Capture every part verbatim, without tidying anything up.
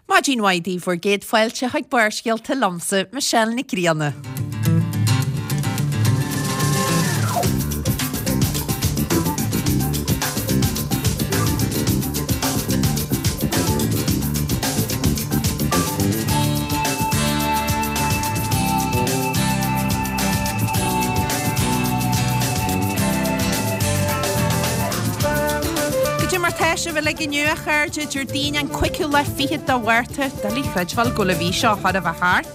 Maidin mhaith daoibh bhur gcéad fáilte chuig Barrscéalta liomsa, Michelle Nic Grianna. Goidé mar tá sibh uilig inniu a chairde, Déardaoin an cúigiú lá fichead de Mhárta, doiligh chreidbheáil go bhfuil an mhí seo chóir a bheith thart.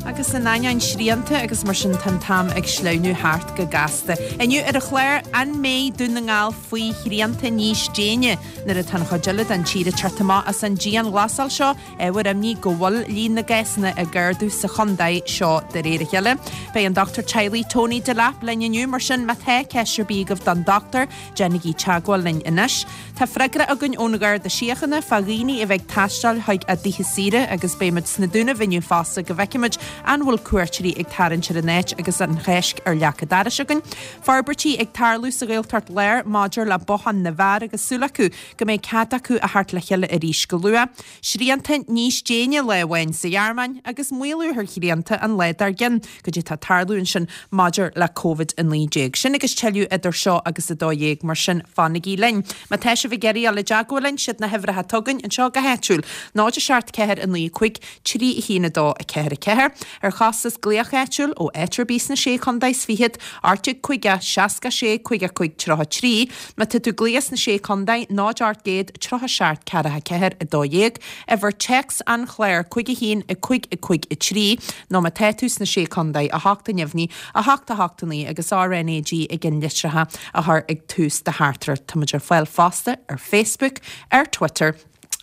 Agus in ainneoin srianta agus mar sin tá an t-am ag sleamhnú thart go gasta. Inniu ar an chlár, an mbeidh Dún na nGall faoi shrianta níos déine nuair atá an chuid eile den tír ag teacht amach as an dianghlasáil seo? Ábhar imní go bhfuil líon na gcásanna ag ardú sa chontae seo de réir a chéile. Beidh an Dochtúir Teaghlaigh Tony Delap linn inniu, mar sin má tá ceist ar bith agaibh don dochtúir, déanaigí teagmháil linn anois. Tá freagra againn ón Gharda Síochána fá dhaoine a bheith ag taisteal chuig a dtithe saoire agus beidh muid sna Dúnaibh inniu fosta go bhfeicfimid an bhfuil cuairteoirí ag tarraingt ar an áit agus an Cháisc ar leac an dorais againn. Forbairtí ag tarlú sa Ghaeltacht Láir maidir le Bothán na bhFear agus súil acu go mbeidh cead acu a theacht le chéile arís go luath. Srianta níos déine lá amháin sa Ghearmáin agus maolú ar shrianta an lá dár gcionn. Goidé tá ag tarlú ansin maidir le Covid a naoi déag. Sin agus tuilleadh idir seo agus a dó dhéag, mar sin fanaigí linn. Má tá sibh ag iarraidh dul i dteagmháil linn, siad na huimhreacha atá againn anseo go háitiúil, náid a seacht ceathair a naoi cúig trí a haon a dó a ceathair a ceathair. Ar chostas glaoch áitiúil ó áit ar bith sna Sé Chontae is Fichead, ocht déag caoga, seasca sé, caoga cúig, tríocha trí. Má tá tú ag glaoch sna Sé Chontae, náid ocht gcéad, tríocha seacht, ceathracha ceathair, a dó dhéag. Uimhir téacs an chláir, cúig a haon, a cúig, a cúig, a trí, nó má tá tú sna Sé Chontae, a hocht a neamhní, a hocht, a hocht, a naoi agus R N A G ag an litreacha a chur ag tús do theachtaireacht. Tá muid ar fáil fosta ar Facebook, ar Twitter,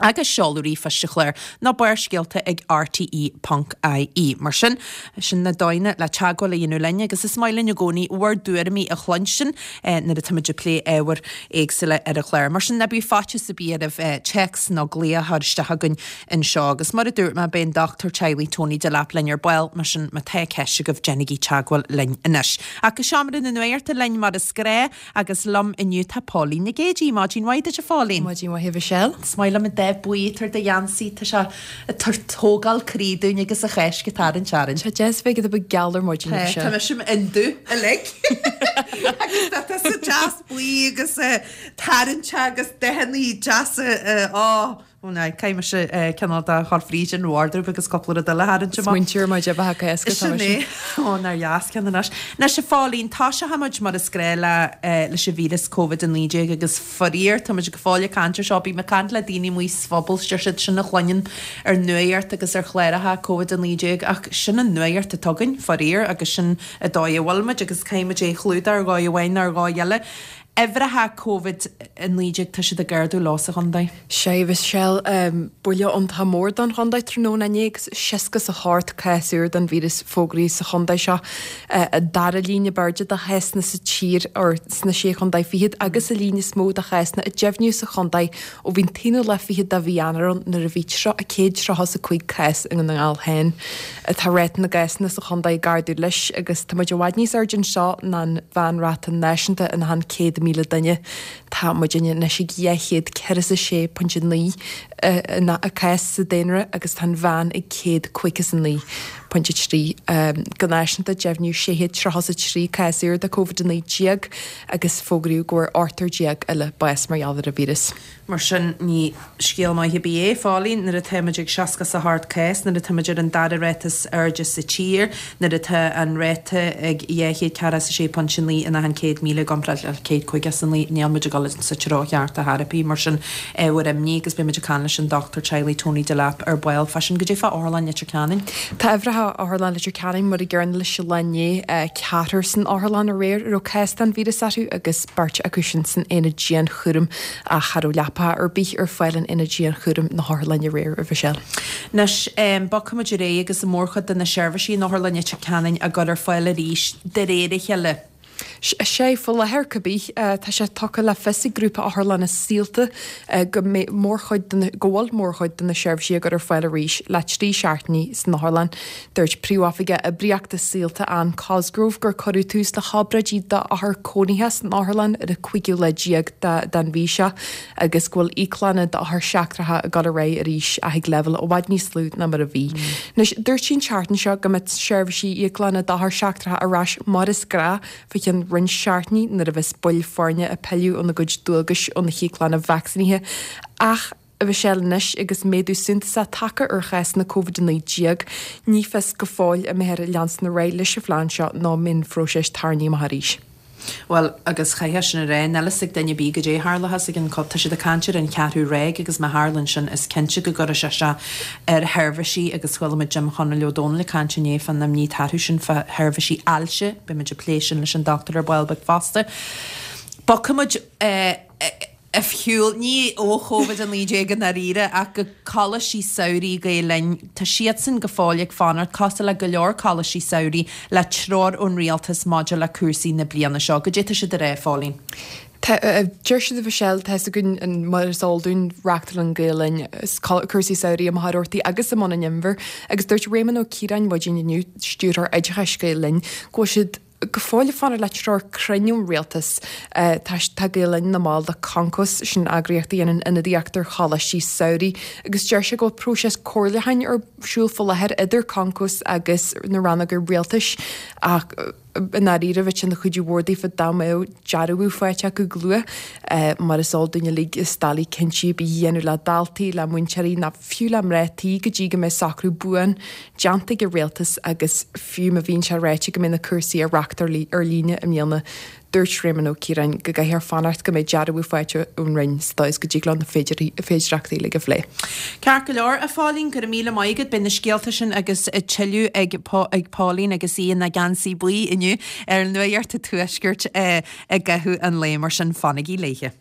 agus seoladh ríomhphoist an chláir ná barrscéalta ag R T E ponc I E. Mar sin, sin na dóigheanna le teagmháil a dhéanamh linn agus is maith linn i gcónaí bhur dtuairimí a chluinstin nuair atáimid ag plé ábhair éagsúla ar an chlár. Mar sin, ná bíodh faitíos ar bith oraibh téacs nó glaoch a chur isteach chugainn anseo. Agus mar a dúirt mé, beidh an Dochtúir Teaghlaigh Tony Delap linn ar ball, mar sin má tá ceist agaibh déanaigí teagmháil linn anois. Ach go seomra na nuachta linn mar is gnách agus liom inniu tá Póilín Nic Géidigh. Maidin mhaith duit a Phóilín. Maidin mhaith a Mhichelle. Is maith liom an dath buí atá ar do gheansaí, tá sé ag tabhairt tógáil croí dúinn agus an Cháisc ag tarraingt orainn. Tá deas bheith ag bheith geal ar maidin, Tá, Michelle. tá mise i ndubh uilig. Agus tá tá sa deas buí agus tarraingt agus dathanna deasa á ó ná caithfidh mise cineál de chur fríd an wardrobe agus cúpla rud eile a tharraingt amach. Smaointear ar maidin bheatha go héasca, tá Sin mise. é. Ó, nár dheas ceann anois. Anois a Phóilín, tosóidh muid mar is gnách le leis an víreas Covid a naoi déag agus faraor, tá muid go fóill ag caint ar seo, bím ag caint le daoine amuigh sa phobal, deir siad sin a chluineann ar nuacht agus ar chláracha Covid a naoi déag ach sin an nuacht atá againn, faraor, agus sin an dóigh a bhfuil muid agus caithfidh muid é a chlúdach ar dhóigh amháin nó ar dhóigh eile. Uimhreacha Covid a naoi déag, tá siad ag ardú leo sa chontae. Sea, a Mhichelle, buille iontach mór don chontae tráthnóna inné agus seasca is a hocht cás úr den víreas fógraithe sa chontae seo. An dara líon ab airde de chásanna sa tír or sna sé chontae fichead agus an líon is mó de chásanna a deimhníodh sa chontae ó bhí an t-aonú lá fichead de mhí Eanáir ann nuair a bhí céad tríocha is a cúig cás i nDún na nGall féin. Tá ráta na gcásanna sa chontae ag ardú leis agus tá muid i bhfad níos airde anseo ná an mheánráta náisiúnta in achan céad míle duine. Tá muid anois ag dhá chéad ceithre is a sé pointe naoi cás sa daonra agus tá an mheán ag céad caoga is a naoi pointe trí. Go náisiúnta deimhníodh sé chéad tríocha is a trí cás úr de Covid a naoi déag agus fógraíodh go bhfuair ochtar déag eile bás mar gheall ar an víreas. Mar sin, ní scéal maith ar bith é, Phóilín, nuair atá muid ag seasca is a hocht cás, nuair atá muid ar an dara ráta is airde sa tír, nuair atá an ráta ag dhá chéad ceathracha is a sé pointe naoi in achan céad míle i gcomparáid le céad caoga is a naoi, níl muid ag dul sa treo cheart ar chor ar bith. Mar sin, ábhar imní agus beidh muid ag caint leis an Dochtúir Teaghlaigh Tony Delap ar ball fá sin. Goidé fá Otharlann Leitir Ceanainn? Tá uimhreacha Otharlann Leitir Ceanainn mar a gcéanna leis an lá inné, ceathrar san otharlann aréir a raibh cás den víreas orthu agus beirt acu sin san aonad dianchúraim ach cha raibh leapacha ar bith ar fáil in aonad dianchúraim na hotharlainne aréir, a Mhichelle. Anois, bogfaidh muid ar aghaidh agus an mhórchuid de na seirbhísí in Otharlann Leitir Ceanainn á gcur ar fáil arís de réir a chéile. Sé faoi láthair cibé, tá sé tugtha le fios ag grúpa otharlanna Saolta go mbeidh mórchuid de na, go bhfuil mórchuid de na seirbhísí á gcur ar fáil arís le trí seachtainí san otharlann. Dúirt Príomhoifigeach Oibríochta Saolta Ann Cosgrove gur cuireadh tús le hobráidí d'othair cónaithe san otharlann ar an cúigiú lá déag den mhí seo agus go bhfuil íoclanna d'othair seachtracha ag dul ar aghaidh arís ach ag leibhéal i bhfad níos lú ná mar a bhí. Anois, dúirt sí an tseachtain seo go mbeadh seirbhísí íoclanna d'othair seachtracha ar ais mar is gnáth fá cheann roinnt seachtainí nuair a bheas baill foirne ag pilleadh óna gcuid dualgais ó na híoclanna vacsaínithe ach a Mhichelle anois agus méadú suntasach tagtha ar chásanna Covid a naoi déag, ní fios go fóill an mbeifear ag leanstan ar aghaidh leis an phlean seo nó an mbeidh an phróiseas tarraingthe amach arís. Bhuel, agus chaithfeá sin a rá, níl fhios ag duine ar bith goidé a tharlóchas ag an co, tá siad ag caint ar an cheathrú ráig agus má tharlaíonn sin is cinnte go gcuirfidh sé seo ar sheirbhísí agus chuala muid Jim Chonaill Ó Dónaill ag caint inné fán imní atá orthu sin fá sheirbhísí ailse, beidh muid ag plé sin leis an dochtúir ar ball beag fosta. Bogfaidh muid ar shiúl, ní ó Chóvid a naoi déag i ndáiríre, ach go Coláistí Samhraidh Gael Linn. Tá siadsan go fóill ag fanacht, cosúil le go leor coláistí samhraidh, le treoir ón rialtas maidir le cúrsaí na bliana seo. Goidé tá siad a rá, a Phóilín? Tá, deir siad a Mhichelle, tá fhios againn mar is eol dúinn, reáchtálann Gael Linn cúrsaí samhraidh i Machaire Rabhartaigh agus i mBun an Inbhir agus dúirt Réamonn Ó Ciaráin maidin inniu, Stiúrthóir Oideachais Gael Linn, go bhfuil siad go fóill ag fanacht le treoir cruinn ón rialtas. Tá tá Gael Linn ina mball de Concos, sin eagraíocht a dhéanann ionadaíocht ar choláistí samhraidh, agus deir sé go bhfuil próiseas comhairliúcháin ar siúl faoi láthair idir Concos agus na rannóga rialtais ach i ndáiríre bheadh sé ina chuidiú mhór daofa dá mbeadh dearbhú faighte acu go luath. Mar is eol dúinn uilig is doiligh cinntí ar bith a dhéanamh le daltaí, le múinteoirí ná fiú le mná tí go dtí go mbeidh socrú buan déanta ag an rialtas agus fiú má bhíonn sé ráite go mbeidh na cúrsaí á reáchtáil ar líne i mbliana, dúirt Réamonn Ó Ciaráin go gcaithfear fanacht go mbeidh dearbhú faighte ón Roinn sa dóigh is go dtig leo na féidearthachtaí uilig a phlé. Ceart go leor, a Phóilín, go raibh míle maith agat. Beidh na scéalta sin agus tuilleadh ag ag Póilín agus í ina geansaí buí inniu ar Nuacht an Tuaiscirt i gcaitheamh an lae, mar sin fanaigí léithe.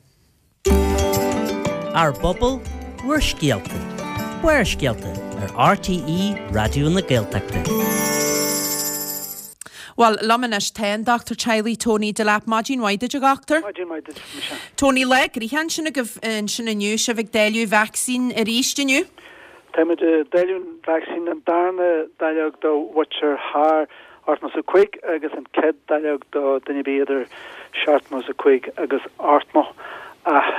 Ár bpobal, bhur scéalta. Barrscéalta ar RTÉ Raidió na Gaeltachta. Bhuel, liom anois tá an Dochtúir Teaghlaigh Tony Delap. Maidin mhaith duit, a dhochtúir. Maidin mhaith duit, Michelle. Tony, lá gnoitheach ansin agaibh ansin inniu, sibh ag dáileadh vacsaín arís inniu? Táimid ag dáileadh an vacsaín, an darna dáileog do mhuintir thar ochtó is a cúig agus an chéad dáileog do duine ar bith idir seachtó is a cúig agus ochtó. Ach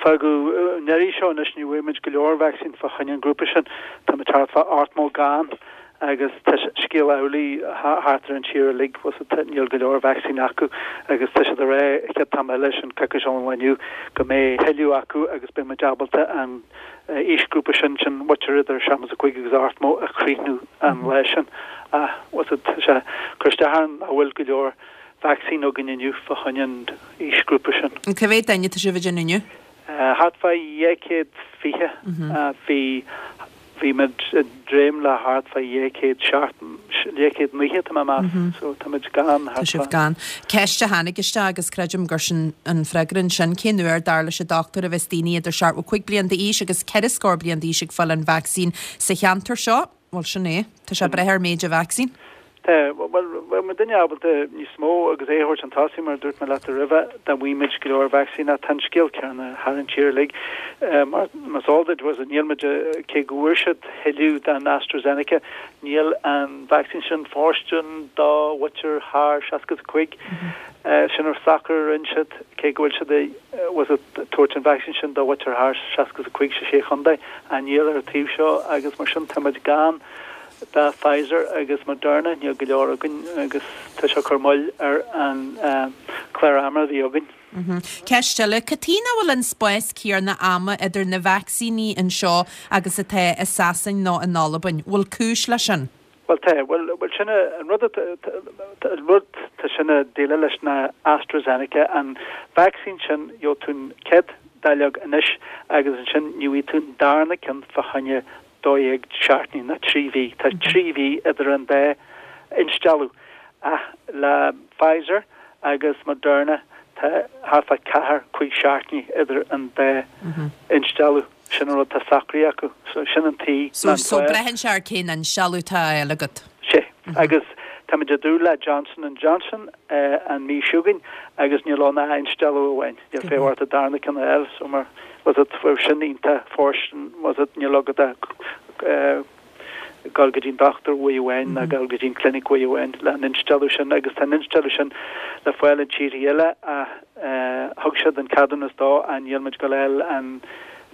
fágadh an iarraidh seo anois ní bhfuair muid go leor vacsaín fá choinne an grúpa sin. Táimid thart fá ochtó gann agus tá scéal amhlaidh thart ar an tír uilig, bhfuil fhios agat, níl go leor vacsaín acu agus tá siad ag rá an chéad t-am eile, sin coicís ón lá inniu, go mbeidh thuilleadh acu agus beidh muid ábalta an aoisghrúpa sin, sin muintir idir seachtó is a cúig agus ochtó a chríochnú an lá sin. Ach, bhfuil fhios agat, tá sé ag cur isteach orainn nach bhfuil go leor vacsaín againn inniu fá choinne an aoisghrúpa sin. Cá mhéad duine atá sibh ag déanamh inniu? Thart fá dhá chéad fiche. Bhí Bhí muid ag dréim le thart fá dhá chéad seacht, dhá chéad naocha tá mé ag meas, so tá muid gann Tá thart sibh fá. gann. Ceist a tháinig isteach agus creidim gur sin an freagra ansin, cén uair, dar leis an dochtúir, a bheas daoine idir seachtó cúig bliain d'aois agus ceithre scór bliain d'aois ag fáil an vacsaín sa cheantar seo? Bhuel, sin é. Tá sé ag brath ar méid an vacsaín. Tá, bhuel, bheadh muidinne ábalta níos mó agus é a thabhairt chun tosaigh, mar a dúirt mé leat roimhe, dá bhfaigheadh muid go leor vacsaín ach tá an scéal céanna thar an tír uilig. Mar is eol duit, bhuel, níl muid, cé go bhfuair siad thuilleadh den AstraZeneca, níl an vacsaín sin fóirstean do mhuintir thar seasca is a cúig. Sin an socrú a rinne siad, cé go bhfuil siad bhfuil fhios agat, tabhairt an vacsaín sin do mhuintir thar seasca is a cúig sa sé chontae, ach níl ar an taobh seo agus mar sin tá muid gann. De Pfizer agus Moderna, níl go leor againn agus tá sé ag cur moill ar an chlár ama a bhí againn. Ceist eile, cad chuige nach bhfuil an spás céanna ama idir na vacsaíní anseo agus atá i Sasain nó in Albain? Bhfuil cúis leis sin? Bhuel tá, bhuel, bhuel sin an rud atá, an rud tá sin ag déileáil leis ná AstraZeneca, an vacsaín sin, gheobhaidh tú an chéad dáileog anois agus ansin ní bhfaighidh tú an darna ceann fá choinne dó dhéag seachtainí nó trí mhí. Tá trí mhí idir an dá instealladh. Ach le Pfizer agus Moderna tá thart fá ceathair, cúig seachtainí idir an dá instealladh. Sin an rud atá socraithe acu. So sin an tuige So, so braitheann sé ar cén instealladh atá á fháil agat. Sea. Agus tá Táimid ag dúil le Johnson and Johnson an mhí seo chugainn agus níl ann ach instealladh amháin. Níl feidhm ort an darna ceann a fháil so mar was it sin iontach fóirstean was it níl agat ach dul go dtí an dochtúir uair amháin ná dul go dtí an clinic uair amháin le an instealladh sin agus tá an instealladh sin le fáil in tíortha eile ach thug siad an ceadúnas dó ach níl muid ag dul a fháil an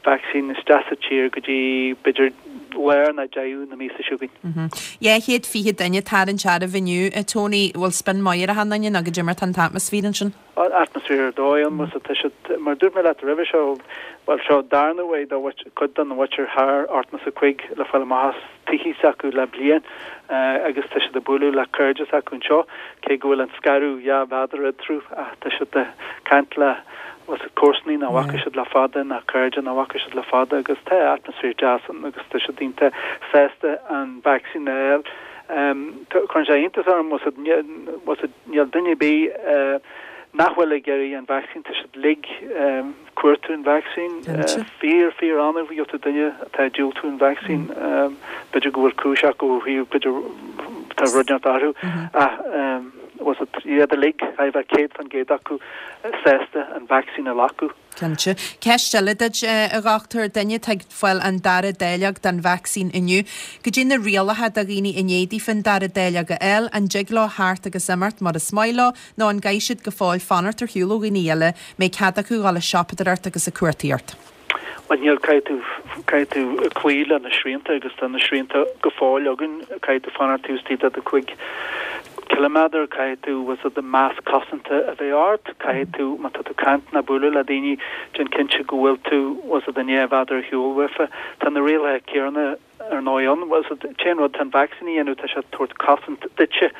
vacsaín isteach sa tír go dtí b'fhéidir lár nó deireadh na míosa seo chugainn. Dhá chéad fiche duine ag tarraingt áireamh inniu, a Tony, bhfuil spion maith ar achan duine nó goidé mar tá an t-atmaisféar ansin? Atmaisféar ar dóigh ann, más tá siad, mar a dúirt mé leat roimhe seo, bhuel seo darna uair do chuid den mhuintir thar ochtó is a cúig le fáil amach as tithe s'acu le bliain agus tá siad ag bualadh le cairde s'acu anseo, cé go bhfuil an scaradh dhá mhéadar eatarthu ach tá siad ag caint le comharsanaí nach bhfaca siad le fada ná cairde nach bhfaca siad le fada agus tá atmaisféar deas ann agus tá siad iontach sásta an vacsaín a fháil. Cuireann sé iontas orm níl duine ar bith nach bhfuil ag iarraidh an vacsaín, tá siad uilig ag cuartú an vacsaín. Fíor, fíor annamh a gheobhaidh tú duine atá ag diúltú an vacsaín. B'fhéidir go bhfuil cúis acu ó thaobh, b'fhéidir tá rud inteacht orthu ach was it iad uilig, caithfidh a bheith céad fan gcéad acu sásta an vacsaín a ghlacadh. Cinnte. Ceist eile duit, a dhochtúir, duine atá ag fáil an dara dáileog den vacsaín inniu, goidé na rialacha do dhaoine i ndiaidh daofa an dara dáileog a fháil, an dtig leo theacht agus imeacht mar is maith leo nó an gcaithfidh siad go fóill fanacht ar shiúl ó dhaoine eile, mbeidh cead acu dhul ag siopadóireacht agus ag cuartaíocht? Bhuel níl, caithfidh tú, caithfidh tú cloí le na srianta agus tá na srianta go fóill againn, caithfidh tú fanacht taobh istigh de do cúig ciliméadar, caithfidh tú bhfuil fhios a'd masc cosanta a bheith ort, caithfidh tú má tá tú caint ná bualadh le daoine déan cinnte go bhfuil tú bhfuil fhios a'd dhá mhéadar ar shiúl uafa. Tá na rialacha céanna ar ndóigh ann, bhfuil fhios a'd t-aon rud tá an vacsaín a dhéanamh tá sé ag tabhairt cosaint duitse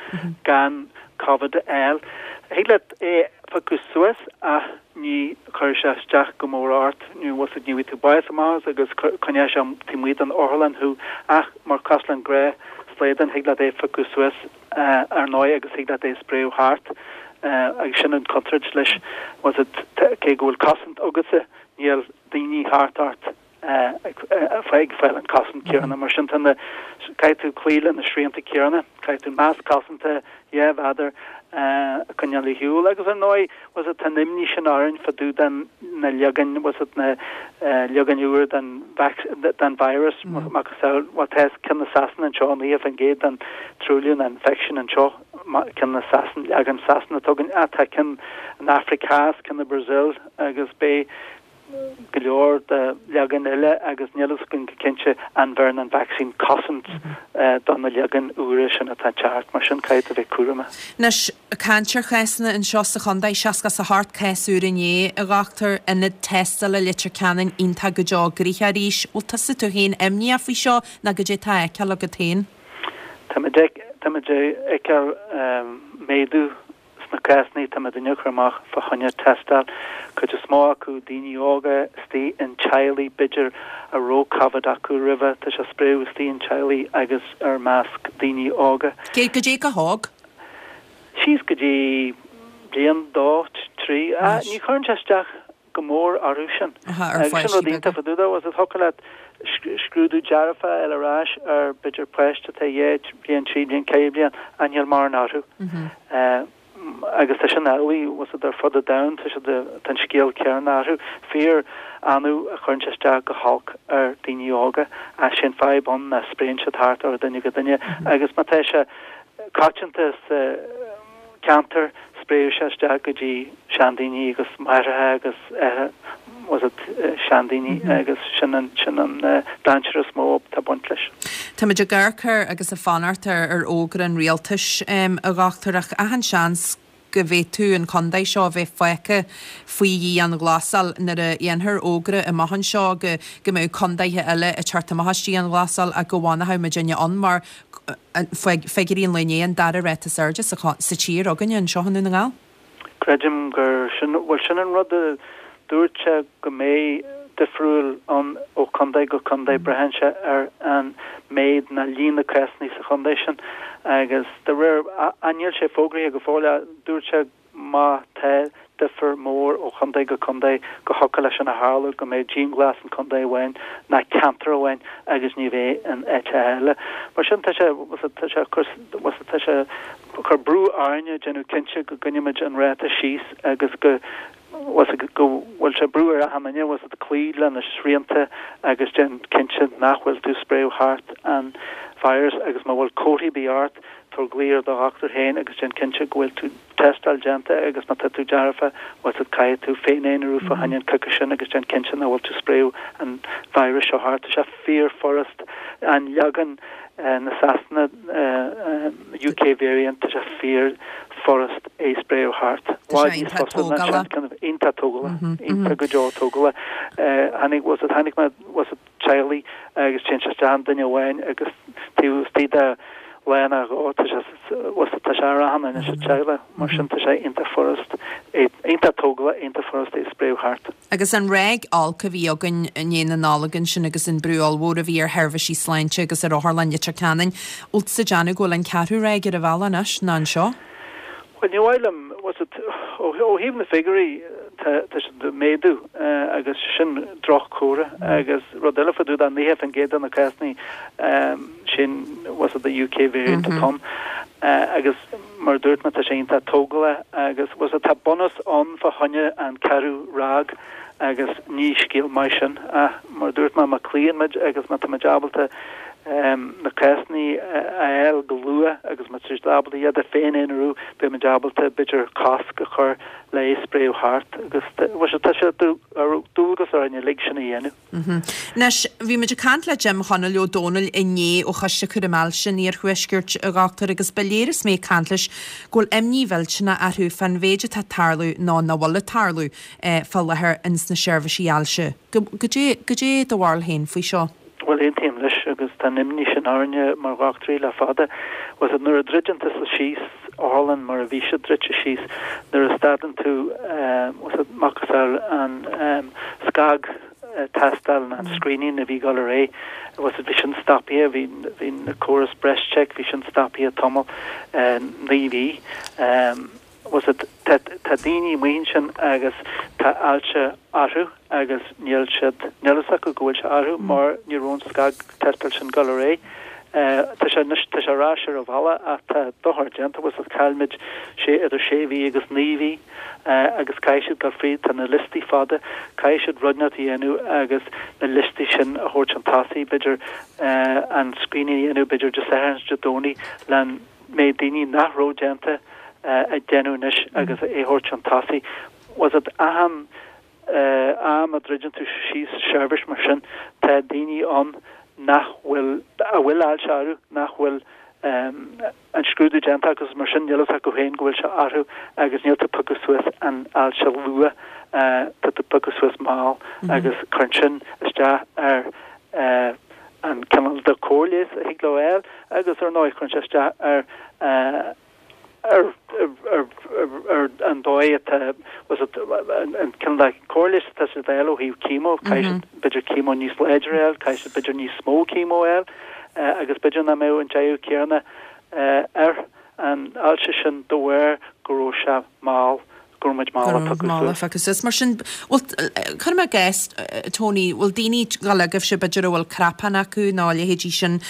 gan Covid a fháil. Thig leat é a phiocadh suas ach ní chuirfidh sé isteach go mór ort, nó bhfuil fhios a'd ní bhfaighidh tú bás amach as agus coinneoidh sé taobh amuigh den otharlann thú ach mar cosúil le an gnáth-shlaodán thig leat é a phiocadh suas ar ndóigh agus thig leat é a spréadh thart agus sin an chontúirt leis, bhfuil fhios a'd cé go bhfuil cosaint agatsa níl daoine thart ort. ag fáil an cosaint céanna. Mar sin tá na, caithfidh tú cloí le na srianta céanna, caithfidh tú masc cosanta dhá mhéadar a choinneáil ar shiúl agus ar ndóigh bhfuil fhios a'd tá an imní sin orainn fá dtaobh den na leagain bhfuil fhios a'd na leagain úr den den virus macasamhail bhuel tá ceann na Sasana anseo naocha faoin gcéad den truailliú na infection anseo ceann na Sasana leagan Sasana atá againn ach tá ceann an Afraic Theas ceann na Brazil agus beidh go leor de leagain eile agus níl fhios againn go cinnte an bheireann an vacsaín cosaint do na leagain úra sin atá ag teacht. Mar sin caithfidh tú bheith cúramach. Anois, caint ar chásanna anseo sa chontae, seasca is a hocht cás úr inné, a dhochtúir, ionad tástála Leitir Ceanainn iontach go deo gnoitheach arís. Bhfuil tusa tú féin imníoch faoi seo nó goidé atá á fheiceáil agat féin? Táimid ag feiceáil méadú Sna cásanna tá muidinne ag cur amach fá choinne tástáil, cuid is mó acu daoine óga istigh in teaghlaigh b'fhéidir a raibh Covid acu roimhe, tá sé ag spréadh istigh in teaghlaigh agus ar measc daoine óga. Goidé chomh hóg? Síos go dtí bliain, dó, trí. Ní chuireann sé isteach go mór orthu sin. Agus sin rud iontach fá dtaobh de, bhfuil fhios a'd thiocfadh leat scrúdú dearfach a fháil ar ais ar b'fhéidir páiste atá dhá bhliain, trí bliain, ceithre bliain, ach níl mórán orthu. Agus tá sin amhlaidh, bhfuil fhios a'd ar fud an domhain, tá siad, tá an scéal céanna orthu. Fíor annamh a chuireann sé isteach go holc ar daoine óga, ach sé an fadhb ann ná spréann siad thart ó dhuine go duine agus má tá sé coitianta sa ceantar, spréadh sé isteach go dtí seandaoine agus máithreacha agus bhfuil fhios a'd seandaoine agus sin an sin an dainséar is mó atá ag baint leis. Táimid ag amharc ar agus ag fanacht ar ar fhógra an rialtais a dhochtúir ach achan seans go bhféadfadh an contae seo a bheith fágtha faoi dhianghlasáil nuair a dhéanfar fógra amach anseo go go mbeadh contaetha eile ag teacht amach as dianghlasáil ach go bhfanfadh muidinne ann mar figiúirí an lae inné an dara ráta is airde sa tír againne anseo i nDún na nGall. Creidim gur sin, bhuel sin an rud a dúirt sé go mbeidh difriúil ann ó chontae go contae, braitheann sé ar an méid ná líon na cásanna sa chontae sin agus de réir, níl sé fógraithe go fóill ach dúirt sé má tá difear mór ó chontae go contae go thiocfadh leis sin a tharlú go mbeidh dianghlas in contae amháin ná ceantar amháin agus ní bheidh in áit eile. Mar sin tá sé tá sé tá sé cur brú orainne déanamh cinnte go gcoinnímid an ráta síos agus go go bhfuil sé brú ar achan duine was cloí le na srianta agus déan cinnte nach bhfuil tú spréadh thart an virus agus má bhfuil comharthaí ar bith ort tabhair glao ar do dhochtúir féin agus déan cinnte go bhfuil tú tástáil déanta agus má tá tú dearfa was it caithfidh tú féin-aonarú fá choinne an coicís sin agus déan cinnte nach bhfuil tú spréadh an virus seo thart. Tá sé fíorfhurast an leagan na Sasana UK variant tá sé fíorfhurast é spréadh thart. Iontach tógálach iontach go deo tógálach tháinig was it tháinig was it teaghlaigh agus téann sé isteach i nduine amháin agus taobh istigh de lá nó dhó tá sé was it tá sé ar achan duine sa teaghlach mar sin tá sé iontach furast iontach tógálach iontach furast é spréadh thart. Agus an ráig olc a bhí againn i ndiaidh na Nollag ansin agus an brú ollmhór a bhí ar sheirbhísí sláinte agus ar Otharlann Leitir Ceanainn, bhfuil tú ag déanamh go bhfuil an ceathrú ráig ar an bhealach anois ná anseo? Well ní mhaith liom was it ó thaobh na figiúirí tá tá siad ag méadú agus sin droch-chomhartha agus rud eile fá dtaobh de naocha faoin gcéad de na cásanna sin was it the UK variant atá ann agus mar a dúirt mé tá sé iontach tógálach agus was it tá bunús ann fá choinne an ceathrú ráig agus ní scéal maith sin ach mar a dúirt mé má cloíonn muid agus má tá muid ábalta na cásanna a fháil go luath agus má tá siad ábalta iad a féin-aonarú beidh muid ábalta b'fhéidir cosc a chur le é spréadh thart agus bhuel tá sé dualgas orainn uilig sin a dhéanamh. Anois, bhí muid ag caint le Jim Chonaill Ó Dónaill inné ó Choiste Cúraim Ailse an Iarthuaiscirt, a Dhochtúir, agus ba léir is mé ag caint leis go bhfuil imní mhillteanach orthu fán mhéid atá ag tarlú nó nach bhfuil ag tarlú fá láthair ins na seirbhísí ailse. Goidé, goidé do bharúil féin faoi seo? Bhuel, aontaím leis agus tá an imní sin orainne mar dhochtúirí le fada. Was it nuair a druideann tusa síos otharlann mar a bhí sé druidte síos, nuair a stadann tú was it macasamhail an scag tástáil an screening a bhí ag dul ar aghaidh, was it bhí sin stoptha, bhí bhí na córas BreastCheck, bhí sin stoptha tamall naoi mhí. Was it tá tá daoine amuigh ansin agus tá ailse orthu agus níl siad níl fhios acu go bhfuil sé orthu mar ní raibh an scagtástáil sin ag dul ar aghaidh. Tá sé anois tá sé ar ais ar an bhealach ach tá dochar déanta was it chaill muid sé idir sé mhí agus naoi mhí agus caithfidh siad dul fríd tá na liostaí fada caithfidh siad rud inteacht a dhéanamh agus na liostaí sin a thabhairt chun tosaigh b'fhéidir an screening a dhéanamh b'fhéidir Dé Sathairn is Dé Domhnaigh le an méid daoine nach raibh déanta a dhéanamh anois agus é a thabhairt chun tosaigh. Was it achan am a druideann tú síos seirbhís mar sin tá daoine ann nach bhfuil a bhfuil ailse orthu nach bhfuil an scrúdú déanta acu agus mar sin níl fhios acu féin go bhfuil sé orthu agus níl tú ag piocadh suas an ailse luath tá tú ag piocadh suas mall agus cuireann sin isteach ar an cineál de cóir leighis a thig leo a fháil agus ar ndóigh cuireann sé isteach ar ar ar ar an dóigh atá was it an cineál de cóir leighis atá siad a fháil ó thaobh chemo, caithfidh siad b'fhéidir chemo níos láidre a fháil, caithfidh siad b'fhéidir níos mó chemo a fháil agus b'fhéidir nach mbeadh an deireadh céanna ar an ailse sin de bharr go raibh sé mall, go raibh muid mall a piocadh Mall a suas. phiocadh suas. Mar sin, bhfuil, cuirim i gcás, Tony, bhfuil daoine ag gabháil agaibhse b'fhéidir a bhfuil cnapán acu nó a leithéidí sin,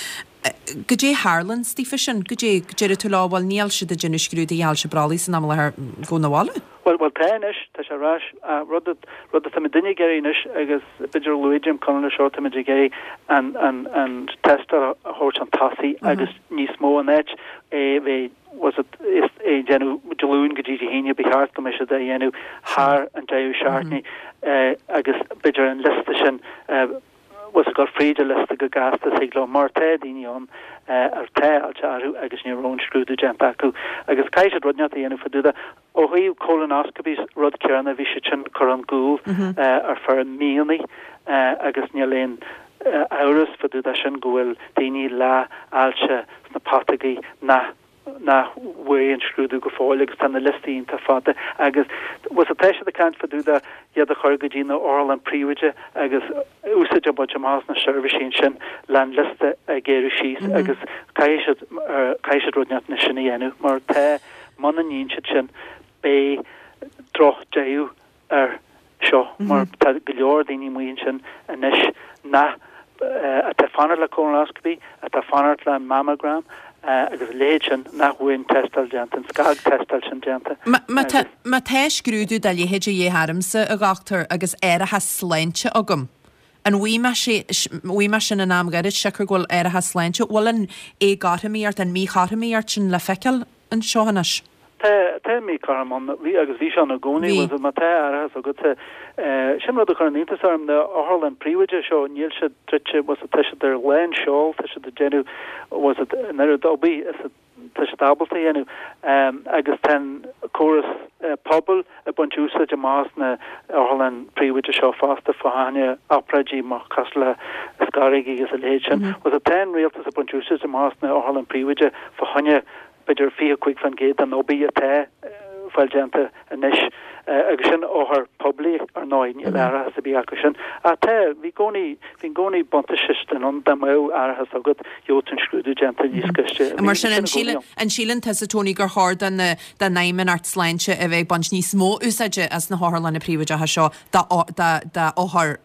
Goidé a tharlaíonn daofa sin? Goidé, deireann tú leo, bhuel níl siad ag déanamh scrúdaithe ailse brollaigh san am i láthair, gabh 'na bhaile? Bhuel, bhuel tá anois, tá sé ar ais. Rud, rud atá muidinne ag iarraidh anois agus b'fhéidir luaigh Jim Conlon é seo, tá muid ag iarraidh an, an, an tástáil a thabhairt chun tosaigh agus níos mó in áit é bheith, was it, is é déanamh Dé Luain go dtí Dé hAoine, ba cheart go mbeadh siad á dhéanamh thar an deireadh seachtaine agus b'fhéidir an liosta sin, was it, dul fríd an liosta go gasta is thig leo mar tá daoine ann ar tá ailse orthu agus ní raibh an scrúdú déanta acu agus caithfidh siad rud inteacht a dhéanamh fá dtaobh de. Ó thaobh colonoscopies rud céanna bhí siad sin curtha chun gcúl ar feadh míonna agus níl aon amhras fá dtaobh de sin go bhfuil daoine le ailse sna putógaí nach nach bhfuair an scrúdú go fóill agus tá na liostaí iontach fada agus was it tá siad ag caint fá dtaobh de iad a chur go dtí na otharlann príobháideach agus úsáid a bhaint amach as na seirbhísí ansin le an liosta a ghéarú síos agus caithfidh siad caithfidh siad rud inteacht anois sin a dhéanamh mar tá muna ndéanann siad sin beidh drochdheireadh air seo mar tá go leor daoine amuigh ansin anois nach atá ag fanacht le colonoscopy, atá ag fanacht le mammogram agus a leithéid sin nach bhfuil an tástáil déanta, an scagthástáil sin déanta. Má tá scrúdú dá leithéid de dhíth ormsa, a dhochtúir, agus árachas sláinte agam, an bhfaighidh mé sin in am ghairid, siocair go bhfuil árachas sláinte, bhfuil an éagothromaíocht, an mhíchothromaíocht sin le feiceáil anseo anois? Tá, tá míchothrom ann, bhí agus bhí sé ann i gcónaí, bhfuil má tá árachas agat, sin rud a chuireann iontas orm, na otharlann príobháideach seo, níl siad druidte, bhfuil tá siad ar lán seol, tá siad ag déanamh, bhfuil an oiread oibre is tá siad ábalta a dhéanamh, agus tá an córas pobail ag baint úsáid amach as na otharlann príobháideach seo fosta fá choinne obráidí mar cosúil le scaireogaí agus a leithéid sin. Bhfuil tá an rialtas ag baint úsáid amach as na otharlann príobháideach fá choinne b'fhéidir fiche cúig faoin gcéad den obair atá fáil déanta anois agus sin othair poiblí ar ndóigh, níl árachas ar bith acu sin. Ach tá, bhí i gcónaí, bhí i gcónaí buntáiste sin ann, dá mbeadh árachas agat, gheobhadh tú an scrúdú déanta níos gaiste. Mar sin, an síleann, an síleann tusa, Tony, gur chóir don, don Fheidhmeannacht Sláinte a bheith ag baint níos mó úsáide as na hotharlanna príobháideacha seo do, do, d'othair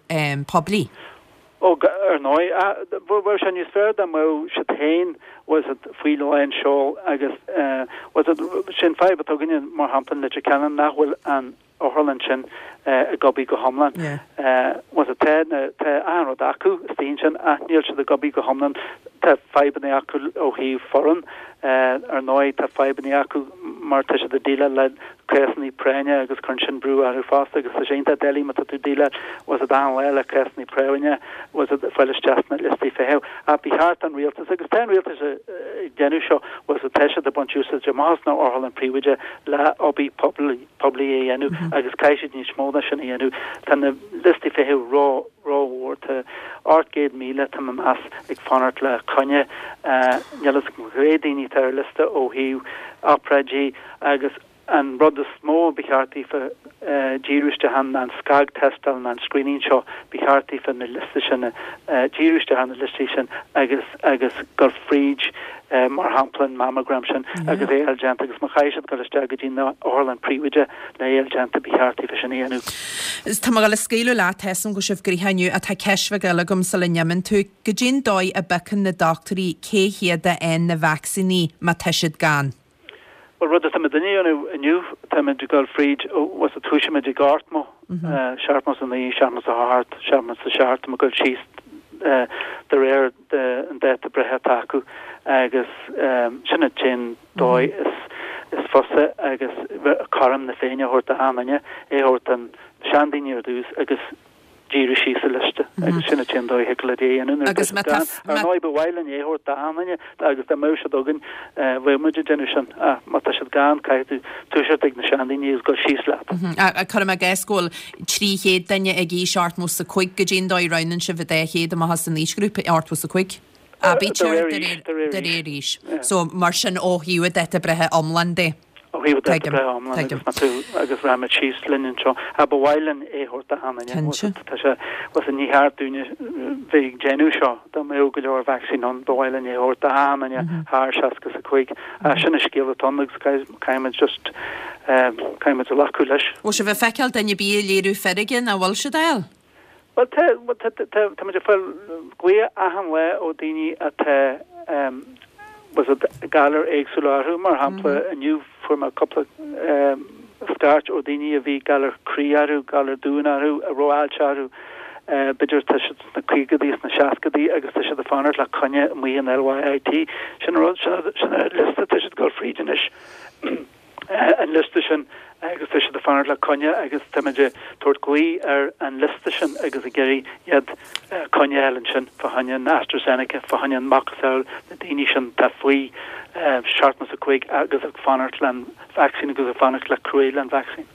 poiblí? Ó, ar ndóigh, bheadh sé níos fearr dá mbeadh siad féin, bhfuil a fhios agat, faoi lán seol agus, bhfuil a fhios agat, sin fadhb atá againne, mar shampla, in Leitir Ceanainn, nach bhfuil an otharlann sin ag obair go hiomlán. Bhfuil a fhios agat, tá na, tá achan rud acu istigh ansin ach níl siad ag obair go hiomlán. Tá fadhbanna acu ó thaobh foireann. Ar ndóigh, tá fadhbanna acu mar tá siad ag déileáil le cásanna práinne agus cuireann sin brú orthu fosta agus tá sé iontach doiligh má tá tú ag déileáil bhfuil a fhios agat achan lá le cásanna práinne bhfuil a fhios agat fáil isteach sna liostaí feithimh. Ach ba cheart don rialtas, agus tá an rialtas ag déanamh seo, bhfuil a fhios agat tá siad ag baint úsáid amach as na otharlann príobháideach le obair poiblí a dhéanamh agus caithfidh siad níos mó ná sin a dhéanamh. Tá na liostaí feithimh ró rómhór. Tá ocht gcéad míle, tá mé ag meas, ag fanacht le coinne. Níl fhios agam cé mhéad daoine atá ar liosta ó thaobh obráidí agus an rud is mó ba cheart daofa díriú isteach ann ná an scagthástáil ná an screening seo, ba cheart daofa na liosta sin díriú isteach ar na liostaí sin agus agus dul fríd mar shampla an mammogram sin agus é a fháil déanta agus má chaithfidh siad dul isteach go dtí na otharlann príobháideach le é a fháil déanta ba cheart daofa sin a dhéanamh. Tá mé ag dul a scaoileadh leat, tá 'fhios a'm go bhfuil sibh gnoitheach inniu ach tá ceist bheag eile agam sula n-imíonn tú. Goidé'n dóigh a bpiocann na dochtúirí cé hiad a fhaigheann na vacsaíní má tá siad gann? Bhuel, rud atá muidinne a dhéanamh inniu, táimid ag dul fríd, bhfuil a fhios agat, tosaímid ag ochtmó, seachtmó is a naoi, seachtmó is a hocht, seachtmó is a seacht, táimid ag dul síos de réir an dáta breithe atá acu agus sin an t-aon dóigh is fusa agus cothrom na Féinne a thabhairt d'achan duine, é a thabhairt don seandaoine ar dtús agus díriú síos sa liosta agus sin an t-aon dóigh a thiocfadh leat é a dhéanamh nuair atá siad gann. Ar ndóigh ba mhaith linn é a thabhairt d'achan duine agus dá mbeadh siad againn bheadh muid ag déanamh sin ach má tá siad gann caithfidh tú toiseacht ag na seandaoine agus dul síos leat. Cuirim i gcás go bhfuil trí chéad duine ag aois ochtmó 's a cúig, goidé'n dóigh a roghnaíonn sibh an dá chéad amach as an aoisghrúpa ochtmó 's a cúig? Aibítear de réir aois. So mar sin ó thaobh dáta breithe iomlán de. Ó thaobh dáta breithe iomlán agus má tú agus rachaimid síos linn anseo. Ach ba mhaith linn é a thabhairt d'achan duine. Tá sé bhfuil a fhios agat ní cheart dúinne bheith ag déanamh seo dá mbeadh go leor vacsaín ann ba mhaith linn é a thabhairt d'achan duine thar seasca is a cúig. Ach sin an scéal atá ann agus caithfimid just caithfimid glacadh leis. Bhfuil sibh ag feiceáil duine ar bith ag léiriú feirge nach bhfuil siad á fháil? Bhuel, tá, tá, tá, táimid ag fáil glaoch achan lá ó daoine atá, bhfuil a fhios agat, galair éagsúla orthu. Mar shampla, inniu fuair mé cúpla scairt ó daoine a bhí galar croí orthu, galar duan orthu, a raibh ailse orthu, b'fhéidir tá siad sna caogaidí, sna seascaidí agus tá siad ag fanacht le coinne amuigh in LYIT. Sin an rud, sin an liosta atá siad ag dul fríd anois. an liosta sin agus tá siad ag fanacht le coinne agus táimid ag tabhairt glao ar an liosta sin agus ag iarraidh iad coinne a fháil ansin fá choinne an AstraZeneca, fá choinne an macasamhail na daoine sin atá faoi seachtó is a cúig agus ag fanacht le an vacsaín agus ag fanacht le cruaidh le an vacsaín.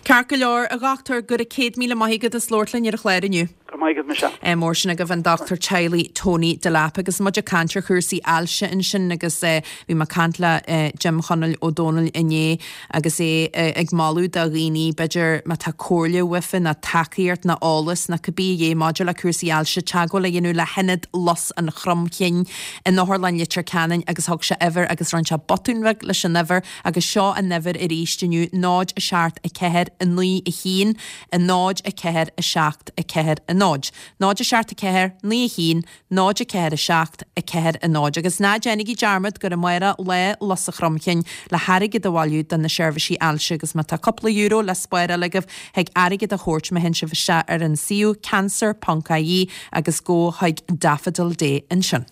Ceart go leor, a dhochtúir, go raibh céad míle maith agat as labhairt linn ar an chlár inniu. Go Go raibh maith agat, Michelle. Mór sin agaibh an dochtúir teaghlaigh Tony Delap agus muid ag caint ar chúrsaí ailse ansin agus bhí mé ag caint le Jim Chonaill Ó Dónaill inné agus é ag moladh do dhaoine b'fhéidir má tá comhairle uafa nó tacaíocht nó eolas nó cibé a dhé maidir le cúrsaí ailse teagmháil a dhéanamh le hIonad Lus an Chromchinn in Otharlann Leitir Ceanainn agus thug sé uimhir agus rinne sé botún bheag leis an uimhir agus seo an uimhir arís inniu náid a seacht a ceathair a naoi a haon a náid a ceathair a seacht a ceathair a náid. náid a seacht a ceathair naoi a haon náid a ceathair a seacht a ceathair a náid. Agus ná déanaigí dearmad gur amárach Lá Lus an Chromchinn le hairgead a bhailiú do na seirbhísí ailse agus má tá cúpla euro le spáráil agaibh thig airgead a thabhairt má théann sibh isteach ar an suíomh cancer ponc ie agus gabh chuig Daffodil Day ansin.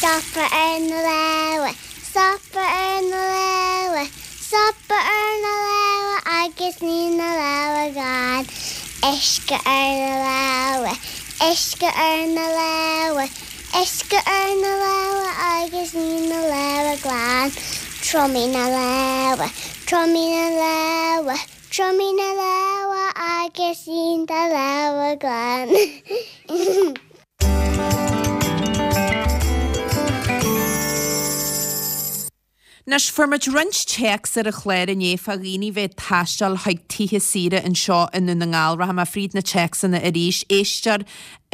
Stopadh ar na lámha, stopadh ar na lámha, stopadh ar na lámha agus ní na lámha glan. Uisce ar na lámha, uisce ar na lámha, uisce ar na lámha agus ní na lámha glan. Triomaigh na lámha, triomaigh na lámha, triomaigh na lámha agus ní do lámha glan. Anois, fuair muid roinnt téacs ar an chlár inné fá dhaoine bheith ag taisteal chuig tithe saoire anseo i nDún na nGall. Rachaidh mé fríd na téacsanna arís. Éisteoir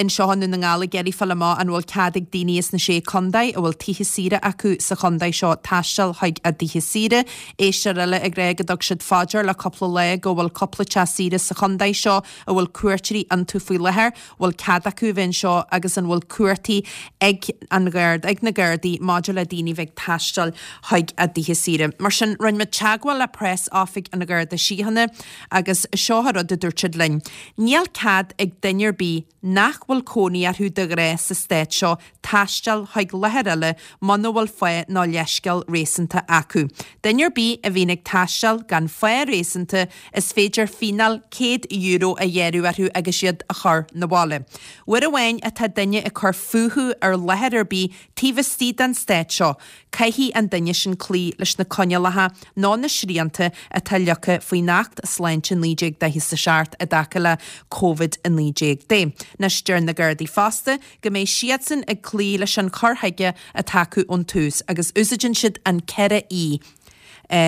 anseo i nDún na nGall ag iarraidh fáil amach an bhfuil cead ag daoine as na Sé Contae a bhfuil tithe saoire acu sa chontae seo taisteal chuig a dtithe saoire. Éisteoir eile ag rá go dtug siad fá dear le cúpla lá go bhfuil cúpla teach saoire sa chontae seo a bhfuil cuairteoirí iontu faoi láthair. Bhfuil cead acu a bheith anseo agus an bhfuil cumhachtaí ag an Gharda, ag na Gardaí maidir le daoine bheith ag taisteal chuig a dtithe saoire. Mar sin, rinne muid teagmháil le Preas Oifig an Gharda Síochána agus seo an rud a dúirt siad linn, Níl cead ag duine ar bith nach bhfuil cónaí orthu de ghnáth sa stát seo taisteal chuig láthair eile muna bhfuil fáth nó leithscéal réasúnta acu. Duine ar bith a bhíonn ag taisteal gan fáth réasúnta, is féidir fíneáil céad euro a ghearradh orthu agus iad a chur 'na bhaile. Uair amháin atá duine ag cur fúthu ar láthair ar bith taobh istigh den stát seo, caithfidh an duine sin cloí leis na coinníollacha nó na srianta atá leagtha faoin Acht Sláinte naoi déag daichead is a seacht i dtaca le Covid a naoi déag de. Anois, deir na Gardaí fosta go mbeidh siadsan ag cloí leis an chur chuige atá acu ón tús agus úsáideann siad an ceithre E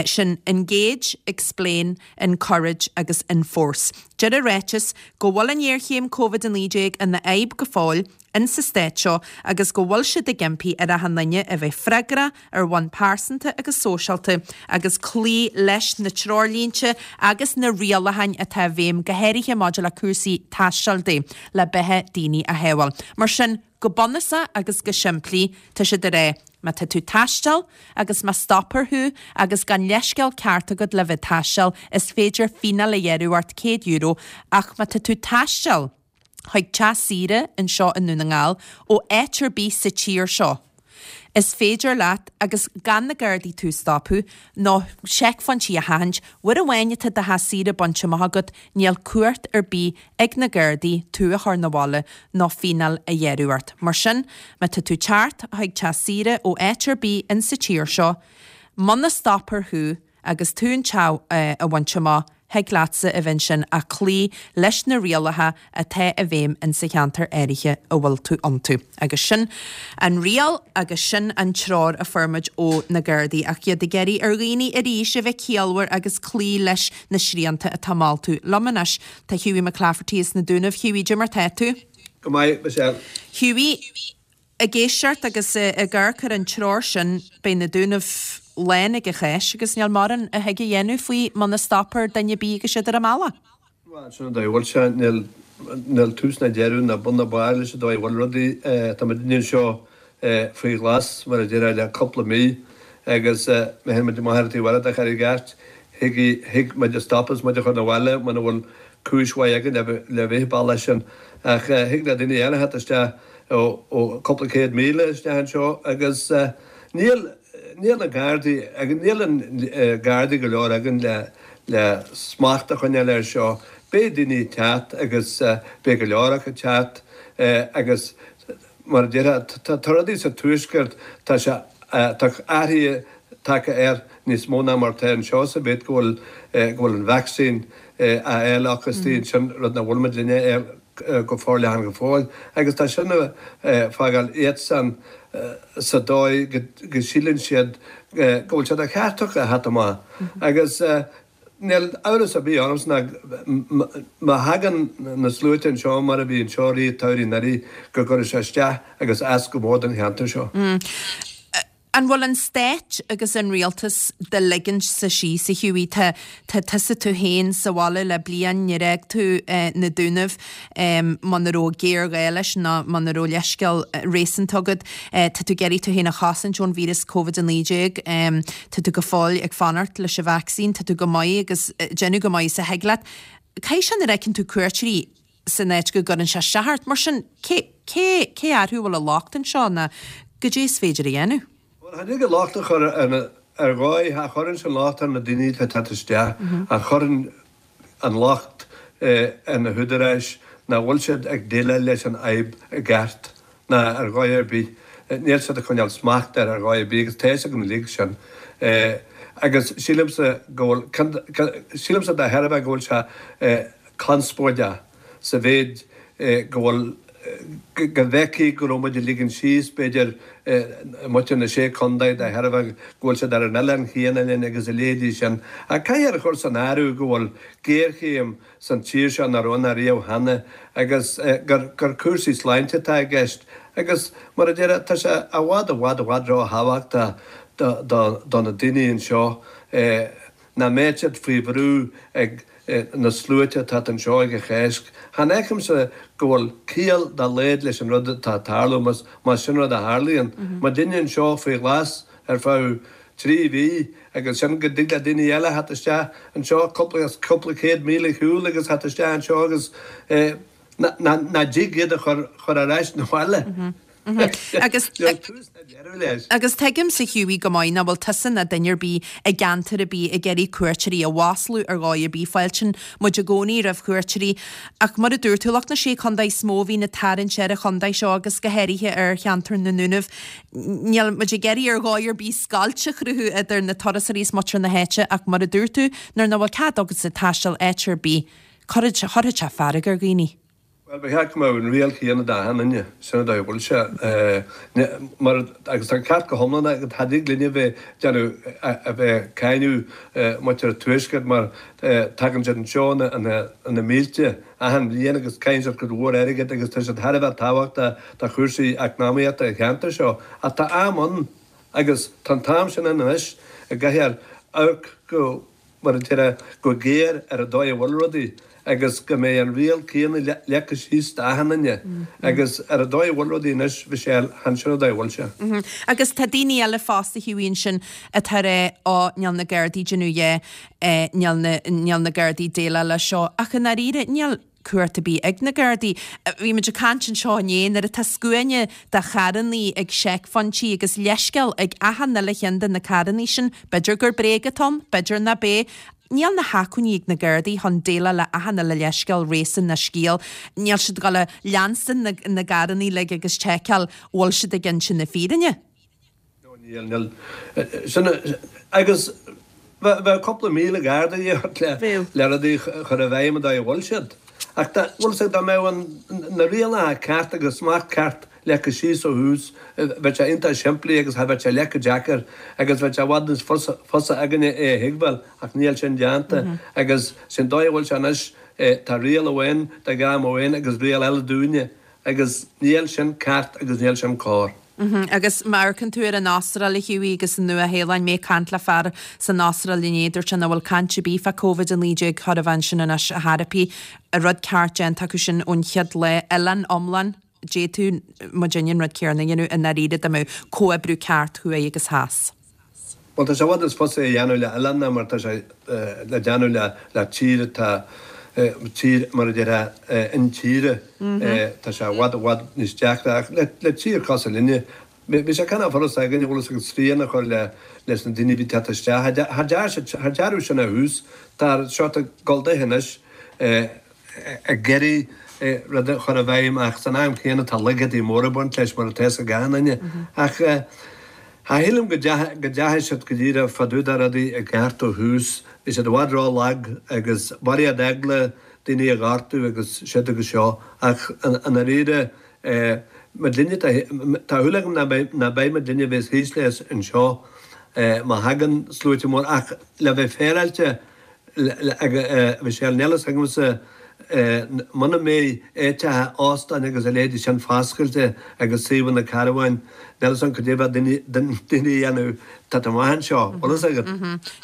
sin, Engage, Explain, Encourage agus Enforce. Deir an ráiteas go bhfuil an ghéarchéim Covid a naoi déag ina fhadhb go fóill insa stát seo agus go bhfuil siad ag impí ar achan duine a bheith freagrach ar bhonn pearsanta agus sóisialta agus cloí leis na treoirlínte agus na rialacháin atá i bhfeidhm, go háirithe maidir le cúrsaí taistil de, le beatha daoine a shábháil. Mar sin, go bunúsach agus go simplí, tá siad ag rá, má tá tú ag taisteal agus má stopfar thú agus gan leithscéal ceart agat le bheith ag taisteal, is féidir fíneáil a ghearradh ort céad euro, ach má tá tú ag taisteal chuig teach saoire anseo i nDún na nGall ó áit ar bith sa tír seo, is féidir leat, agus gan na Gardaí tú a stopadh, nó seicphointí a sheachaint, uair amháin atá do theach saoire bainte amach agat, níl cumhacht ar bith ag na Gardaí tú a chur 'na bhaile nó fíneáil a ghearradh ort. Mar sin, má tá tú ag teacht chuig teach saoire ó áit ar bith insa tír seo, muna stopfar thú agus tú an teach a bhaint amach, thig leatsa a bheith ansin ach cloí leis na rialacha atá i bhfeidhm insa cheantar áirithe a bhfuil tú iontu. Agus sin an riail agus sin an treoir a fuair muid ó na Gardaí ach iad ag iarraidh ar dhaoine arís a bheith ciallmhar agus cloí leis na srianta atá molta. Liom anois tá Hughie McClafferty as na Dúnaibh. Hughie, cad é mar tá tú? Go maith, Michelle. Hughie, Ag éisteacht agus ag amharc ar an treoir sin, beidh na Dúnaibh lán ag an Cháisc agus níl mórán a thig a dhéanamh faoi muna stopfar duine ar bith agus iad ar an mbealach. Bhuel, sin an dóigh a bhfuil sé. Níl, níl tús ná deireadh ná bun ná barr leis an dóigh a bhfuil rudaí. Tá muidne anseo faoi ghlas, mar a déarfá, le cúpla mí agus má théann muid amach ar an taobh eile de Charraig Airt, thig, thig muid a stopadh is muid a chur 'na bhaile muna bhfuil cúis mhaith againn le bheith an bealach sin. Ach thig le daoine eile theacht isteach ó cúpla céad míle isteach anseo agus níl, níl na Gardaí, níl an Gardaí go leor againn le, le smacht a choinneáil air seo. Beidh daoine ag teacht agus beidh go leor acu ag teacht agus mar a déarfá, tá rudaí sa Tuaisceart, tá sé, tá athruithe tagtha air níos mó ná mar atá anseo sa mhéid go bhfuil, go bhfuil an vacsaín a fháil acu istigh ansin, rud nach bhfuil muid linne a fháil go forleathan go fóill. Agus tá sin ag fágáil iadsan sa dóigh go síleann siad go bhfuil sé de cheart acu a theacht amach. Agus níl amhras ar bith ormsa ná má thagann na sluaite anseo mar a bhí anseo i rith an tsamhraidh anuraidh go gcuirfidh sé isteach agus as go mór don cheantar seo. An bhfuil an Stát agus an Rialtas do ligint-sa síos, a Hughie? Tá tá tusa tú féin sa bhaile le bliain, níor fhág tú na Dúnaibh muna raibh géarghá leis ná muna raibh leithscéal réasúnta agat. Tá tú ag iarraidh tú féin a chosaint ón víreas Covid a naoi déag. Tá tú go fóill ag fanacht leis an vacsaín. Tá tú go maith agus déanamh go maith is a thig leat. Caithfidh sé nuair a fheiceann tú cuairteoirí san áit go gcuireann sé isteach ort. Mar sin, cé cé cé orthu a bhfuil an locht anseo ná goidé is féidir a dhéanamh? Bhuel, cha dtig an locht a chur ar na, ar dhóigh, cha chuireann an locht ar na daoine atá ag teacht isteach, ach chuireann an locht ar na húdaráis nach bhfuil siad ag déileáil leis an fhadhb i gceart, ná ar dhóigh ar bith. Níl siad ag coinneáil smacht air ar dhóigh ar bith agus tá a fhios againn uilig sin. Agus sílimse go bhfuil, sílimse de thairbhe go bhfuil sé conspóideach sa mhéid go bhfuil, go bhfeicfí go raibh muid ag ligean síos, b'fhéidir, muintir na Sé Chontae de thairbhe go bhfuil siad ar an oileán chéanna linn agus a leithéidí sin. Ach caithfear a chur san áireamh go bhfuil géarchéim san tír seo nach raibh ann ariamh cheana agus gur gur cúrsaí sláinte atá i gceist agus, mar a déarfá, tá sé i bhfad i bhfad i bhfad ró-thábhachtach do do do na daoine anseo nach mbeadh siad faoi bhrú ag na sluaite atá anseo ag an Cháisc. Chan fheicimse go bhfuil ciall dá laghad leis an rud atá ag tarlú, más sin rud a tharlaíonn. Muidinne anseo faoi ghlas ar feadh trí mhí agus ansin go dtig le daoine eile theacht isteach anseo cúpla cúpla céad míle ar shiúl agus theacht isteach anseo agus nach dtig iad a chur ar ais 'na bhaile. Agus Agus tuigimse Hughie go maith nach bhfuil tusa ná duine ar bith i gceantar ar bith ag iarraidh cuairteoirí a mhaslú ar dhóigh ar bith. Fáiltíonn muid i gcónaí roimh chuairteoirí ach mar a dúirt tú, lucht na Sé Chontae is mó a bhíonn ag tarraingt ar an chontae seo agus go háirithe ar cheantar na nDúnaibh. Níl muid ag iarraidh ar dhóigh ar bith scoilt a chruthú idir na turasóirí is muintir na háite ach mar a dúirt tú, nuair nach bhfuil cead agatsa taisteal áit ar bith, cuirfidh sé fearg ar dhaoine. Bhuel, ba cheart go mbeadh an riail chéanna d'achan duine, sin an dóigh a bhfuil sé. Mar, agus tá an ceart go hiomlán agat, cha dtig linne a bheith déanamh, a bheith ag cáineadh muintir an Tuaiscirt mar tagann siad anseo ina mílte achan bhliain agus caitheann siad cuid mhór airgid agus tá siad thar a bheith tábhachtach do chúrsaí eacnamaíochta an cheantair seo. Ach tá am ann agus tá an t-am sin ann anois a gcaithfear amharc go, mar a déarfá, go géar ar an dóigh a bhfuil rudaí agus go mbeidh an riail céanna leagtha síos d'achan duine agus ar an dóigh a bhfuil rudaí anois, Michelle, chan sin an dóigh a bhfuil sé. Agus tá daoine eile fosta Hughie ansin atá ag rá ó níl na Gardaí ag déanamh a dhath, níl na, níl na Gardaí ag déileáil leis seo ach i ndáiríre níl cumhacht ar bith ag na Gardaí. Bhí muid ag caint anseo inné nuair atá scuaine de charrannaí ag seicphointí agus leithscéal ag achan uile cheann de na carrannaí sin, b'fhéidir gur bréag atá ann, b'fhéidir nach b'é. Níl na hacmhainní ag na Gardaí chun déileáil le achan uile leithscéal, réasún ná scéal. Níl siad ag dul a leanstan na gcarrannaí uilig agus seiceáil bhfuil siad ag inse na fírinne. No, níl, níl. Sin, agus bheadh cúpla míle Garda de dhíth ort le, le rudaí a chur i bhfeidhm an dóigh a bhfuil siad. Ach dá, bhfuil 'fhios agat, dá mbeadh an, na rialacha ceart agus smacht ceart leagtha síos ó thús, bheadh sé iontach simplí agus cha bheadh sé leath chomh deacair agus bheadh sé i bhfad níos fusa, fusa againne é a thuigbheáil ach níl sin déanta agus sin dóigh a bhfuil sé anois, tá riail amháin do dhream amháin agus riail eile dúinne agus níl sin ceart agus níl sin cóir. Agus má amharcann tú ar an Astráil, a Hughie, agus an Nua-Shéalainn, mé ag caint le fear san Astráil inné, dúirt sé nach bhfuil caint ar bith fá Covid a naoi déag chor a bheith ansin anois ar chor ar bith. An rud ceart déanta acu sin ón chéad lá, oileán iomlán, d'fhéadfadh muidinne an rud céanna a dhéanamh i ndáiríre dá mbeadh comhoibriú ceart thuaidh agus theas. Bhuel, tá sé i bhfad níos fusa é a dhéanamh le oileán ná mar atá sé le déanamh le le tír atá, tír mar a déarfá, intíre. Tá sé i bhfad i bhfad níos deacra ach le le tír cosúil linne, bhí sé cineál furasta againn, bhfuil fhios agat, srian a chur le leis na daoine a bhí ag teacht isteach. Cha dearnadh sin ó thús. Tá seo ag dul duithe anois. ag iarraidh rud a chur i bhfeidhm ach san am chéanna tá laigeadaí móra ag baint leis mar atá fhios ag achan duine. Ach Cha shílim go dteachaigh siad go díreach fá dtaobh de rudaí i gceart ó thús. Bhí siad i bhfad ró-lag agus barraíocht eagla daoine a ghortú agus siúd agus seo. Ach i ndáiríre, muidinne, tá shúil agam ná beidh muidinne a bheas thíos leis anseo má thagann sluaite mór. Ach le bheith féaráilte, a Mhichelle, níl fhios agamsa muna mbeidh áiteacha óstáin agus a leithéidí sin foscailte agus suíomhanna carabháin, níl fhios agam cad é a bheadh daoine a dhéanamh tá amach anseo, bhfuil fhios agat?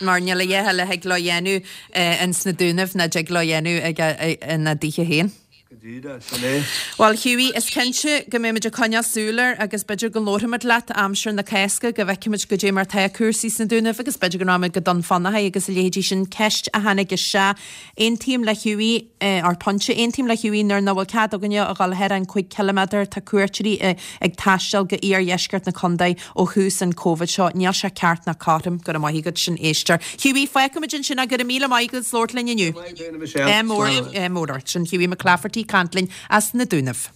Mar níl a dhath eile a thig leo dhéanamh ins na Dúnaibh ná dtig leo dhéanamh ina dtithe féin. Go díreach, sin é. Bhuel, Hughie, is cinnte go mbeimid ag coinneáil súil air agus b'fhéidir go labharfaimid leat aimsir na Cásca go bhfeicfimid goidé mar tá cúrsaí sna Dúnaibh agus b'fhéidir go rachaimid go Dún Fionnachaidh agus a leithéidí sin. Ceist a tháinig isteach, Aontaím le Hughie, ar pointe, aontaím le Hughie nuair nach bhfuil cead againne a dhul thar an cúig ciliméadar tá cuairteoirí ag taisteal go iardheisceart na contae ó thús an Covid seo. Níl sé ceart ná cothrom. Go raibh maith agat, sin éisteoir. Hughie, fágfaimid ansin é. Go raibh míle maith agat as labhairt linn inniu. Ádh mór, ádh mór ort. Sin Hughie McClafferty ag caint linn as na Dúnaibh.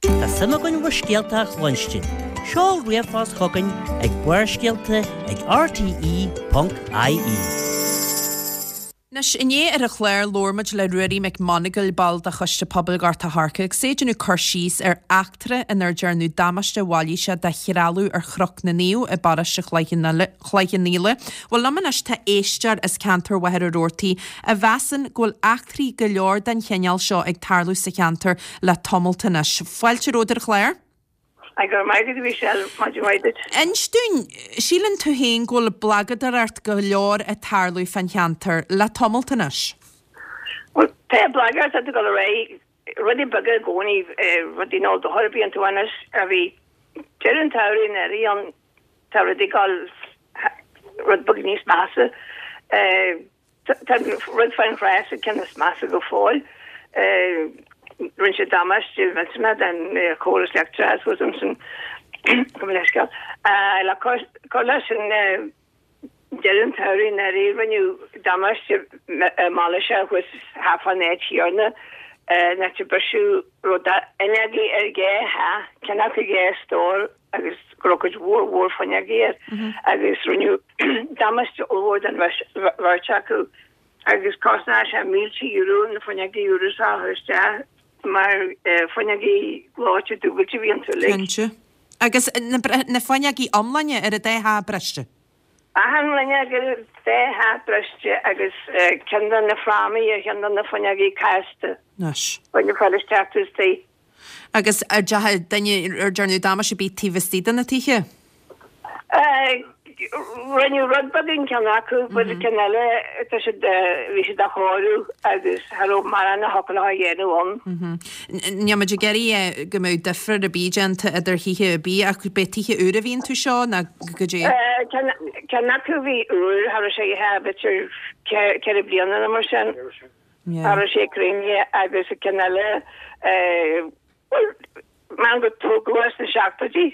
Tá suim againn bhur scéalta a chluinstin. Seol ríomhphost chugainn ag Barrscéalta ag rte ponc ie. Anois, inné ar an chlár labhair muid le Ruairí Mac Monagail, ball de Choiste Pobail Ghort a' Choirce, agus é ag déanamh cur síos ar eachtra inar dearnadh damáiste mhailíseach de threalamh ar Chnoc na Naomh i bparóiste Chloich Cheann Fhaola. Bhuel, liom anois tá éisteoir as ceantar Mhachaire Rabhartaigh a mheasann go bhfuil eachtraí go leor den chineál seo ag tarlú sa cheantar le tamalt anois. Fáilte romhat ar an chlár. Go raibh maith agat, a Mhichelle, maidin mhaith duit. Inis dúinn, síleann tú féin go bhfuil blagadóireacht go leor ag tarlú fán cheantar le tamalt anois? Bhuel, pé blagadóireacht atá ag dul ar aghaidh, rudaí beaga i gcónaí, rudaí ná dochar a bhíonn tú anois, a bhí deireadh an tsamhraidh anuraidh ann, tá rudaí ag dul rud beag níos measa. Tá an rud fán chreas an ceann is measa go fóill. Rinne sé damáiste millteanach don chóras leictreachais thuas ansin, gabh mo leithscéal. Le cur leis sin, deireadh an tsamhraidh anuraidh, rinneadh damáiste mailíseach thuas thart fán áit chéanna, an áit a briseadh rud fhuinneogaí ar dhá theach, ceann acu dhá stór agus go raibh cuid mhór mhór fuinneogaí air agus rinneadh damáiste ollmhór don bheirt acu agus chosnaigh sé mílte euro na fuinneogaí úra seo a chur isteach mar fuinneogaí gleoite dúbailte a bhí iontu uilig. Cinnte. Agus na fuinneogaí iomláine ar an dá theach briste? Achan fhuinneog ar an dá theach briste agus ceann de na frámaí ar cheann de na fuinneogaí casta. Anois. Bain an fáil isteach istigh. Agus ar dearnadh duine, ar dearnadh damáiste ar bith taobh istigh de na tithe? Rinneadh rud beag in ceann acu, but an ceann eile, tá siad, bhí siad á chóiriú agus cha raibh mórán a thiocfadh leo a dhéanamh ann. Níl muid ag iarraidh go mbeadh difear ar bith déanta idir thithe ar bith ach b'é tithe úra a bhí iontu seo nó goidé? Ceann acu bhí úr, cha raibh sé b'fhéidir ceithre bliana nó mar sin. Cha raibh sé cruinnithe agus an ceann eile, bhuel, measaim gur tógadh é sna seachtóidí,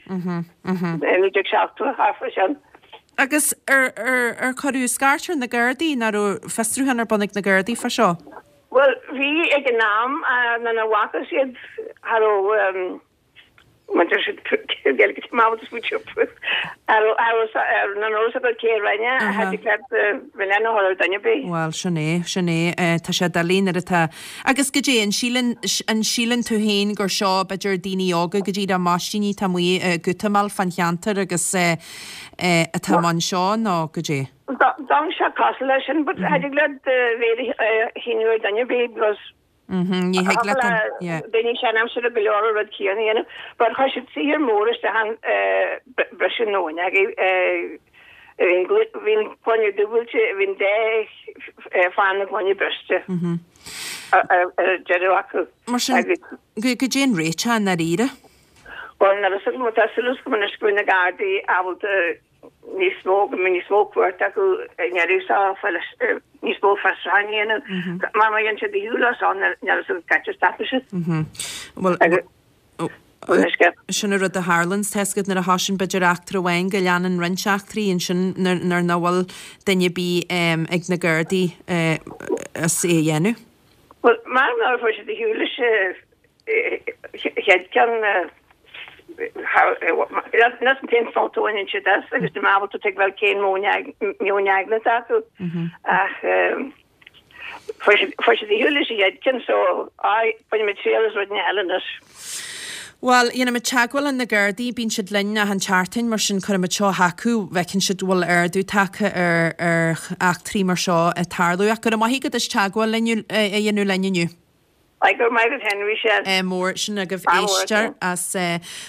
naoi déag seachtó, thart fá sin. Agus ar, ar, ar cuireadh scairt ar na Gardaí, nó raibh fiosrúchán ar bun ag na Gardaí fá seo? Bhuel, bhí ag an am, nuair a bhfacthas iad, cha raibh, Bhuel, sin é, sin é. Tá sé doiligh nuair atá. Agus goidé, an síleann, an síleann tú féin gur seo, b'fhéidir, daoine óga go díreach maistíní atá amuigh ag útamáil fán cheantar agus atá i mbun seo nó goidé? D'fhan sé cosúil leis sin, but cha dtig leat mhéad a shíniú ar dhuine ar bith because Ní thig leat an, yeah. Daoine seanaimseartha go leor an rud céanna a dhéanamh, but chuir siad saothar mór isteach ann, briseadh na bhfuinneogaí, bhí an gloine dúbailte, bhí an dá phána na gloine briste ar an deireadh acu. Mar sin, goidé an réiteach i ndáiríre? Bhuel, nuair a má tá súil agam anois go bhfuil na Gardaí ábalta níos mó, go mbeidh níos mó cumhacht acu i ndeireadh seo fáil níos mó fiosrúcháin a dhéanamh mar má dhéanann siad a shiúl as ann níl fhios agam cá háit a stopfaidh siad. Bhuel, sin an rud a tharlaíonn, tá fhios agat nuair a thosaíonn b'fhéidir eachtra amháin go leanann roinnt eachtraí ansin nuair nach bhfuil duine ar bith ag na Gardaí as é a dhéanamh. Bhuel, mar nár fuair siad a shiúl leis an chéad ceann, Anois an t-aon sult a bhaineann siad as agus níl mé ábalta tuigbheáil cén meon aigne atá acu ach fuair siad a shiúl leis an gcéad ceann so bainfidh muid triail as rud eile anois. Bhuel, dhéanfaimid teagmháil le na Gardaí, bíonn siad linn achan tseachtain, mar sin cuirfimid seo chucu, bhfeiceann siad go bhfuil ardú tagtha ar ar eachtraí mar seo ag tarlú. Ach go raibh maith agat as teagmháil linn a dhéanamh linn inniu. Aye, go raibh maith agat féin, Michelle. Mór sin agaibh Ádh mór éisteoir as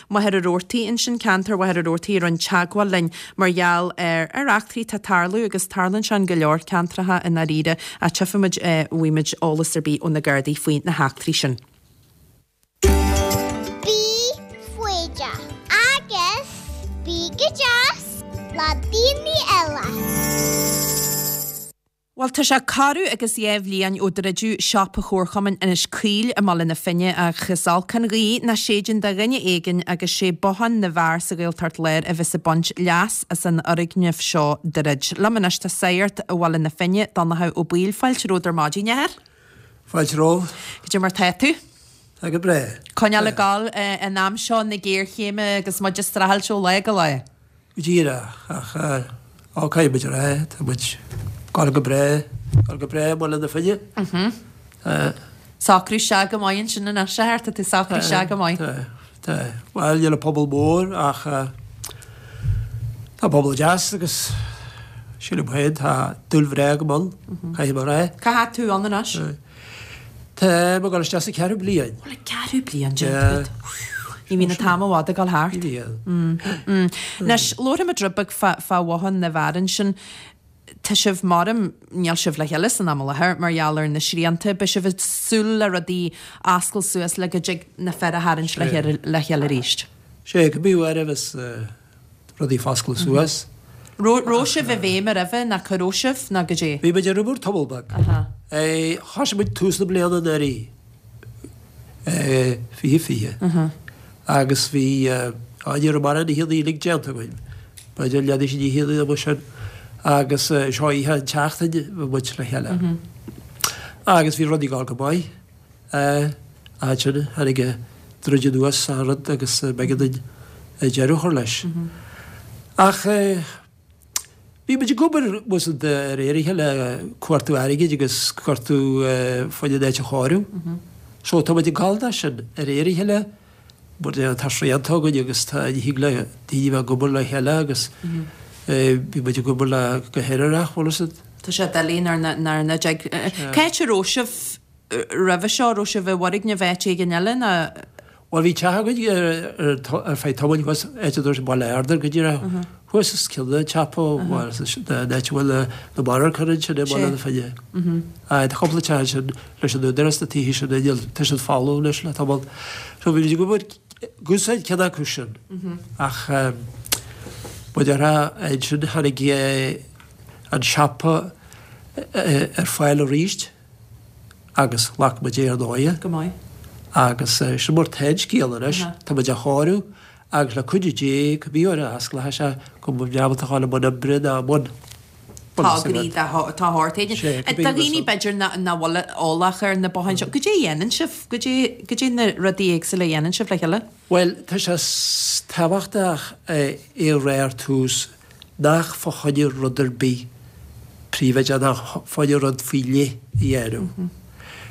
Machaire Rabhartaigh ansin, ceantar Mhachaire Rabhartaigh a rinne teagmháil linn mar gheall ar ar eachtraí atá ag tarlú agus tarlaíonn sé in go leor ceantracha i ndáiríre ach tchífimid an bhfaighimid eolas ar bith ó na Gardaí faoi na heachtraí sin. Bí foighdeach agus bí go deas le daoine eile. Bhuel, tá sé corradh agus dhá bhliain ó druideadh siopa Chomharchumann Inis Caoil i mBaile na Finne ach is olc an ghaoth nach séideann do dhuine éigin agus sé Bothán na bhFear sa Ghaeltacht Láir a bheas ag baint leas as an fhoirgneamh seo druid. Liom anois tá Sagart Bhaile na Finne, Donnchadh Ó Baoill. Fáilte romhat ar maidin, a athair. Fáilte romhat. Cad é mar tá tú? Tá go breá. Coinneáil ag gabháil in am seo na géarchéime agus muid ag streachailt ó lá go lá. Go díreach, ach á caithfidh muid a rá, tá muid ag gabháil go breá, gabháil go breá i mBaile na Finne. Tá. Socrú isteach go maith ansin anois, a athair, tá tú socrú isteach go maith. Tá, tá. Bhuel, níl an pobal mór ach tá pobal deas agus sílim féin, tá dúil bhreá agam ann, caithfidh mé a rá. Cá fhad tú ann anois? Tá mé ag dul isteach sa cheathrú bliain. Bhuel, an ceathrú bliain déanta agat. Ní bhíonn an t-am i bhfad ag dul thart. Ní bhíonn. Anois, labharfaimid rud beag fá Bhothán na bhFear ansin. Tá sibh maram, níl sibh le chéile san am i láthair mar gheall ar na srianta. Beidh sibh ag súil le rudaí oscailt suas le go dtig na fir a tharraingt le chéile arís. Sé, cibé uair a bheas rudaí ag oscailt suas. Raibh sibh i bhfeidhm roimhe nó cá raibh sibh nó goidé? Bhí muid ar obair tamall beag. Thosaigh muid tús na bliana anuraidh, fiche fiche, agus bhí, á ní raibh mórán oícheanta uilig déanta againn, b'fhéidir leath de na hoícheanta amuigh sin, agus seo oíche an tseachtain bhí muid le chéile. Agus bhí rudaí ag dul go maith. Ansin tháinig an druid anuas an rud agus b'éigean dúinn deireadh a chur leis. Ach bhí muid ag obair de réir a chéile cuartú airgid agus cuartú fá choinne an áit a chóiriú. So tá muid ag gabháil dó sin de réir a chéile mar tá srianta againn agus tá ní thig le daoine bheith ag obair le chéile agus bhí muid ag obair le go haerach, bhfuil fhios agat. Tá sé doiligh nuair nach dtig. Cá háit a raibh sibh roimhe seo? Raibh sibh i bhfoirgneamh áit éigin eile nó? Bhuel bhí teach againn ar feadh tamaill thuas, áit a dúirt Baile Ardair go díreach thuas os cionn an tsiopa, bhuel an áit a bhfuil na monarchana ansin i mBaile na Finne. Tá cúpla teach ansin leis an údarás na tithe sin níl, tá siad folamh anois le tamall. So bhí muid ag obair ag úsáid ceann acu sin ach mar a déarfá ansin tháinig an siopa ar fáil arís. Agus ghlac muid é ar ndóighe. Go maith. Agus sin mar tá an scéal anois. Tá muid á chóiriú agus le cuidiú Dé, cibé uair a osclóidh sé, go mbeidh muid ábalta a dhul i mbun oibre ná i mbun. Tograí de shórt éigin. Do dhaoine b'fhéidir nach bhfuil eolach ar na botháin seo, goidé a dhéanann sibh? Goidé, goidé na rudaí éagsúla a dhéanann sibh le chéile? Bhuel, tá sé tábhachtach é a rá ar tús nach fá choinne rud ar bith príobháideach, nach fá choinne rud faoi leith a dhéanamh.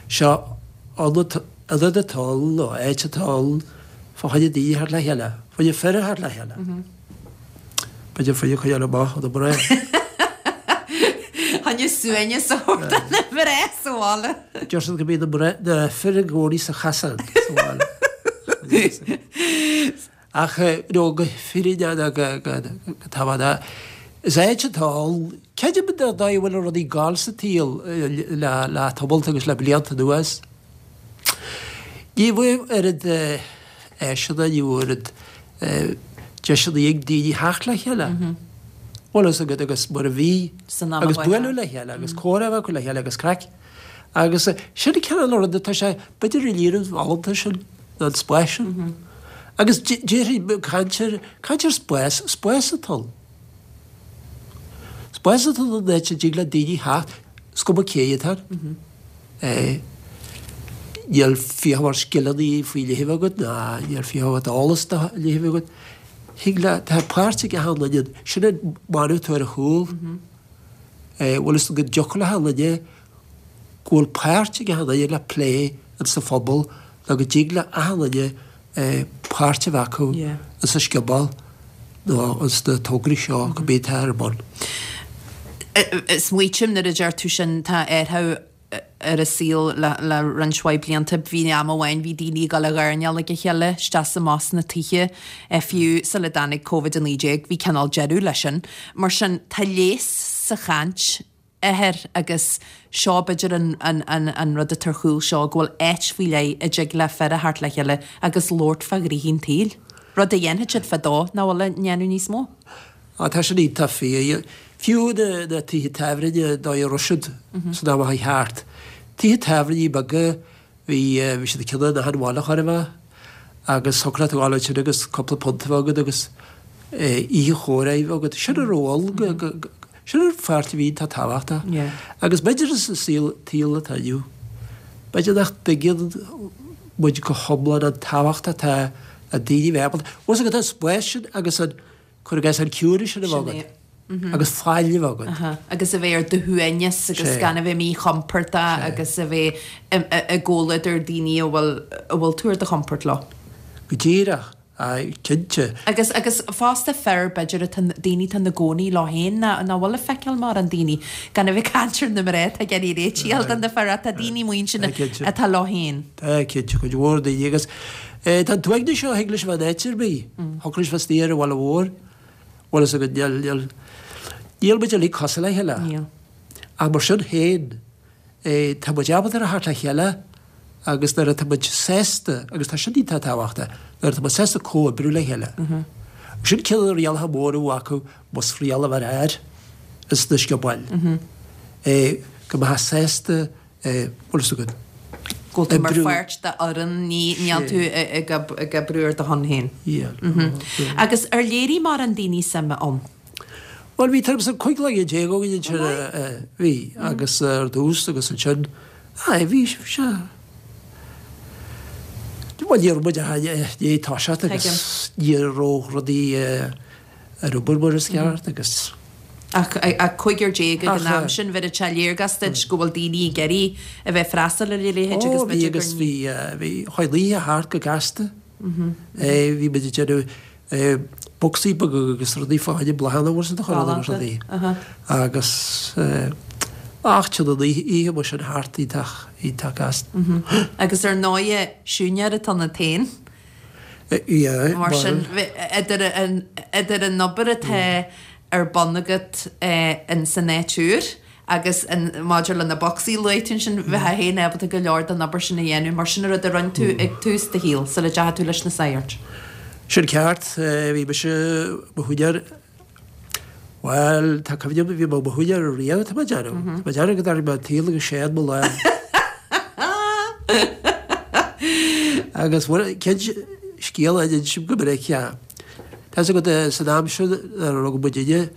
Seo ionad, ionad atá ann, nó áit atá ann, fá choinne daoine a theacht le chéile, fá choinne fir a theacht le chéile. B'fhéidir fá choinne coinneáil amach ó na mná. Choinne suaimhneas a thabhairt do na mná sa bhaile. Deir siad go mbíonn na mná, na fir i gcónaí sa chasán sa bhaile. Ach nó go fírinneach nó go tábhachtach, is áit atá ann, creidim an dóigh a bhfuil rudaí ag gabháil sa tsaol le tamalt agus le blianta anuas. Ní bhfuil oiread áiseanna, ní bhfuil oiread deiseanna ag daoine theacht le chéile. Bhfuil fhios agat agus mar a bhí, agus bualadh le chéile agus comhrá a bheith acu le chéile agus craic. Agus sin an cineál rud atá sé, b'fhéidir an líon folúntais sin, nó an spás sin. Agus déarfainn, caint ar, caint ar spás, spás atá ann. Spás atá ann an áit a dtig le daoine theacht, is cuma cé atá ann. Níl fiach mar scileanna faoi leith a bheith agat ná níl fiach agat eolas dá leith a bheith agat. Thig le, tá páirt ag achan duine, sin an mana atá ar a chúl. Bhfuil fhios go dtiocfadh le achan duine go bhfuil páirt ag achan duine le plé insa phobal nó go dtig le achan duine páirt a bheith acu insa scioból nó ins na tograí seo cibé atá ar bun. Smaoitím nuair a deir tú sin tá athrú ar an saol le roinnt mhaith blianta. Bhí am amháin bhí daoine ag dul ag airneál ag a chéile isteach is amach sna tithe, fiú sula dtáinig Covid a naoi déag bhí cineál deireadh leis sin. Mar sin tá léas sa chaint athair agus seo b'fhéidir an, an, an, an rud atá ar chúl seo go bhfuil áit faoi leith a dtig le fir a theacht le chéile agus labhairt fá ghnoithí an tsaoil. Rud a dhéanfadh siad fadó nach bhfuil á ndéanamh níos mó. Á, tá sin iontach fíor. Fiú na, na tithe tábhairne dóigh a raibh siad san am a chuaigh thart. Tithe tábhairne beaga, bhí, bhí siad ag cineál in achan bhaile chóir a bheith agus thiocfadh leat a ghabháil ansin agus cúpla punt a bheith agat agus oíche chomhrá a bheith agat. Sin a raibh ann go, go, go, sin an pháirt a bhí iontach tábhachtach. Agus b'fhéidir sa saol, tsaol atá inniu, b'fhéidir nach dtuigeann muid go hiomlán an tábhacht atá le daoine a bheith ábalta, bhfuil fhios agat an spás sin agus an, cuir i gcás an ciúnas sin a bheith agat agus faill a bheith agat. Agus a bheith ar do shuaimhneas agus gan a bheith míchompordach agus a bheith i gcomhluadar daoine a bhfuil a bhfuil tú ar do chompord leo. Go díreach, aye, cinnte. Agus agus fosta fir b'fhéidir atá daoine atá ina gcónaí leo féin nach nach bhfuil ag feiceáil mórán daoine, gan a bheith ag caint ar na mná atá ag iarraidh réitigh a fháil do na fir ach tá daoine amuigh ansin atá leo féin. Tá, cinnte, cuid mhór daoine agus Tá an t-uaigneas seo, thig leis a bheith in áit ar bith. Thiocfadh leis bheith istigh ar an bhaile mhór. Bhfuil fhios agat, níl, níl, níl muid uilig cosúil le chéile. Níl. Ach mar sin féin, tá muid ábalta a theacht le chéile agus nuair atá muid sásta, agus tá sin iontach tábhachtach, nuair atá muid sásta comhoibriú le chéile. Sin ceann de na rialacha móra a bhí acu, más riail a bheadh air, ins na sciobóil. Go mbeifeá sásta Bhfuil fhios agat. Go bhfuil tú mar pháirt d'fhoireann, níl tú ag oibriú ar do shon féin. Agus ar léirigh mórán daoine suim ann? Bhuel, bhí tuairim is an cúig dhuine déag againn ansin, bhí, agus ar dtús agus ansin, aye, bhí sé, bhuel, ní raibh muid ach i ndiaidh toiseacht agus ní raibh rudaí ar obair mar is ceart agus. Ach cúigear déag ag an am sin, bheireadh sé léargas duit go bhfuil daoine ag iarraidh a bheith ag freastal ar a leithéid agus Ó, bhí agus bhí, bhí, chuaigh an oíche thart go gasta. Bhí muid ag déanamh bocsaí beaga agus rudaí fá choinne bláthanna bhfuil fhios agat a chur ann agus rudaí. Agus ach téann an oíche mar sin thart iontach, iontach gasta. Agus ar ndóighe, siúinéir atá ionat féin. Mar sin, idir an obair atá ar bun agat in san áit úr agus maidir le na bocsaí a luaigh tú ansin, bheifeá féin ábalta go leor den obair sin a dhéanamh. Mar sin an rud a rinne tú ag tús do shaoil, sula dteachaigh tú leis na sagairt. Sin ceart. Bhí mise i mo shiúinéir Bhuel, tá cuimhne agam, bhí mé i mo shiúinéir riamh, tá mé ag déanamh. Tá mé ag déanamh go dtarraing mé an tsaol agus séan mo lámh. Agus bhuel, cén scéal a insím go minic, yeah. Tá fhios agat, san am sin nuair a rugadh muidinne,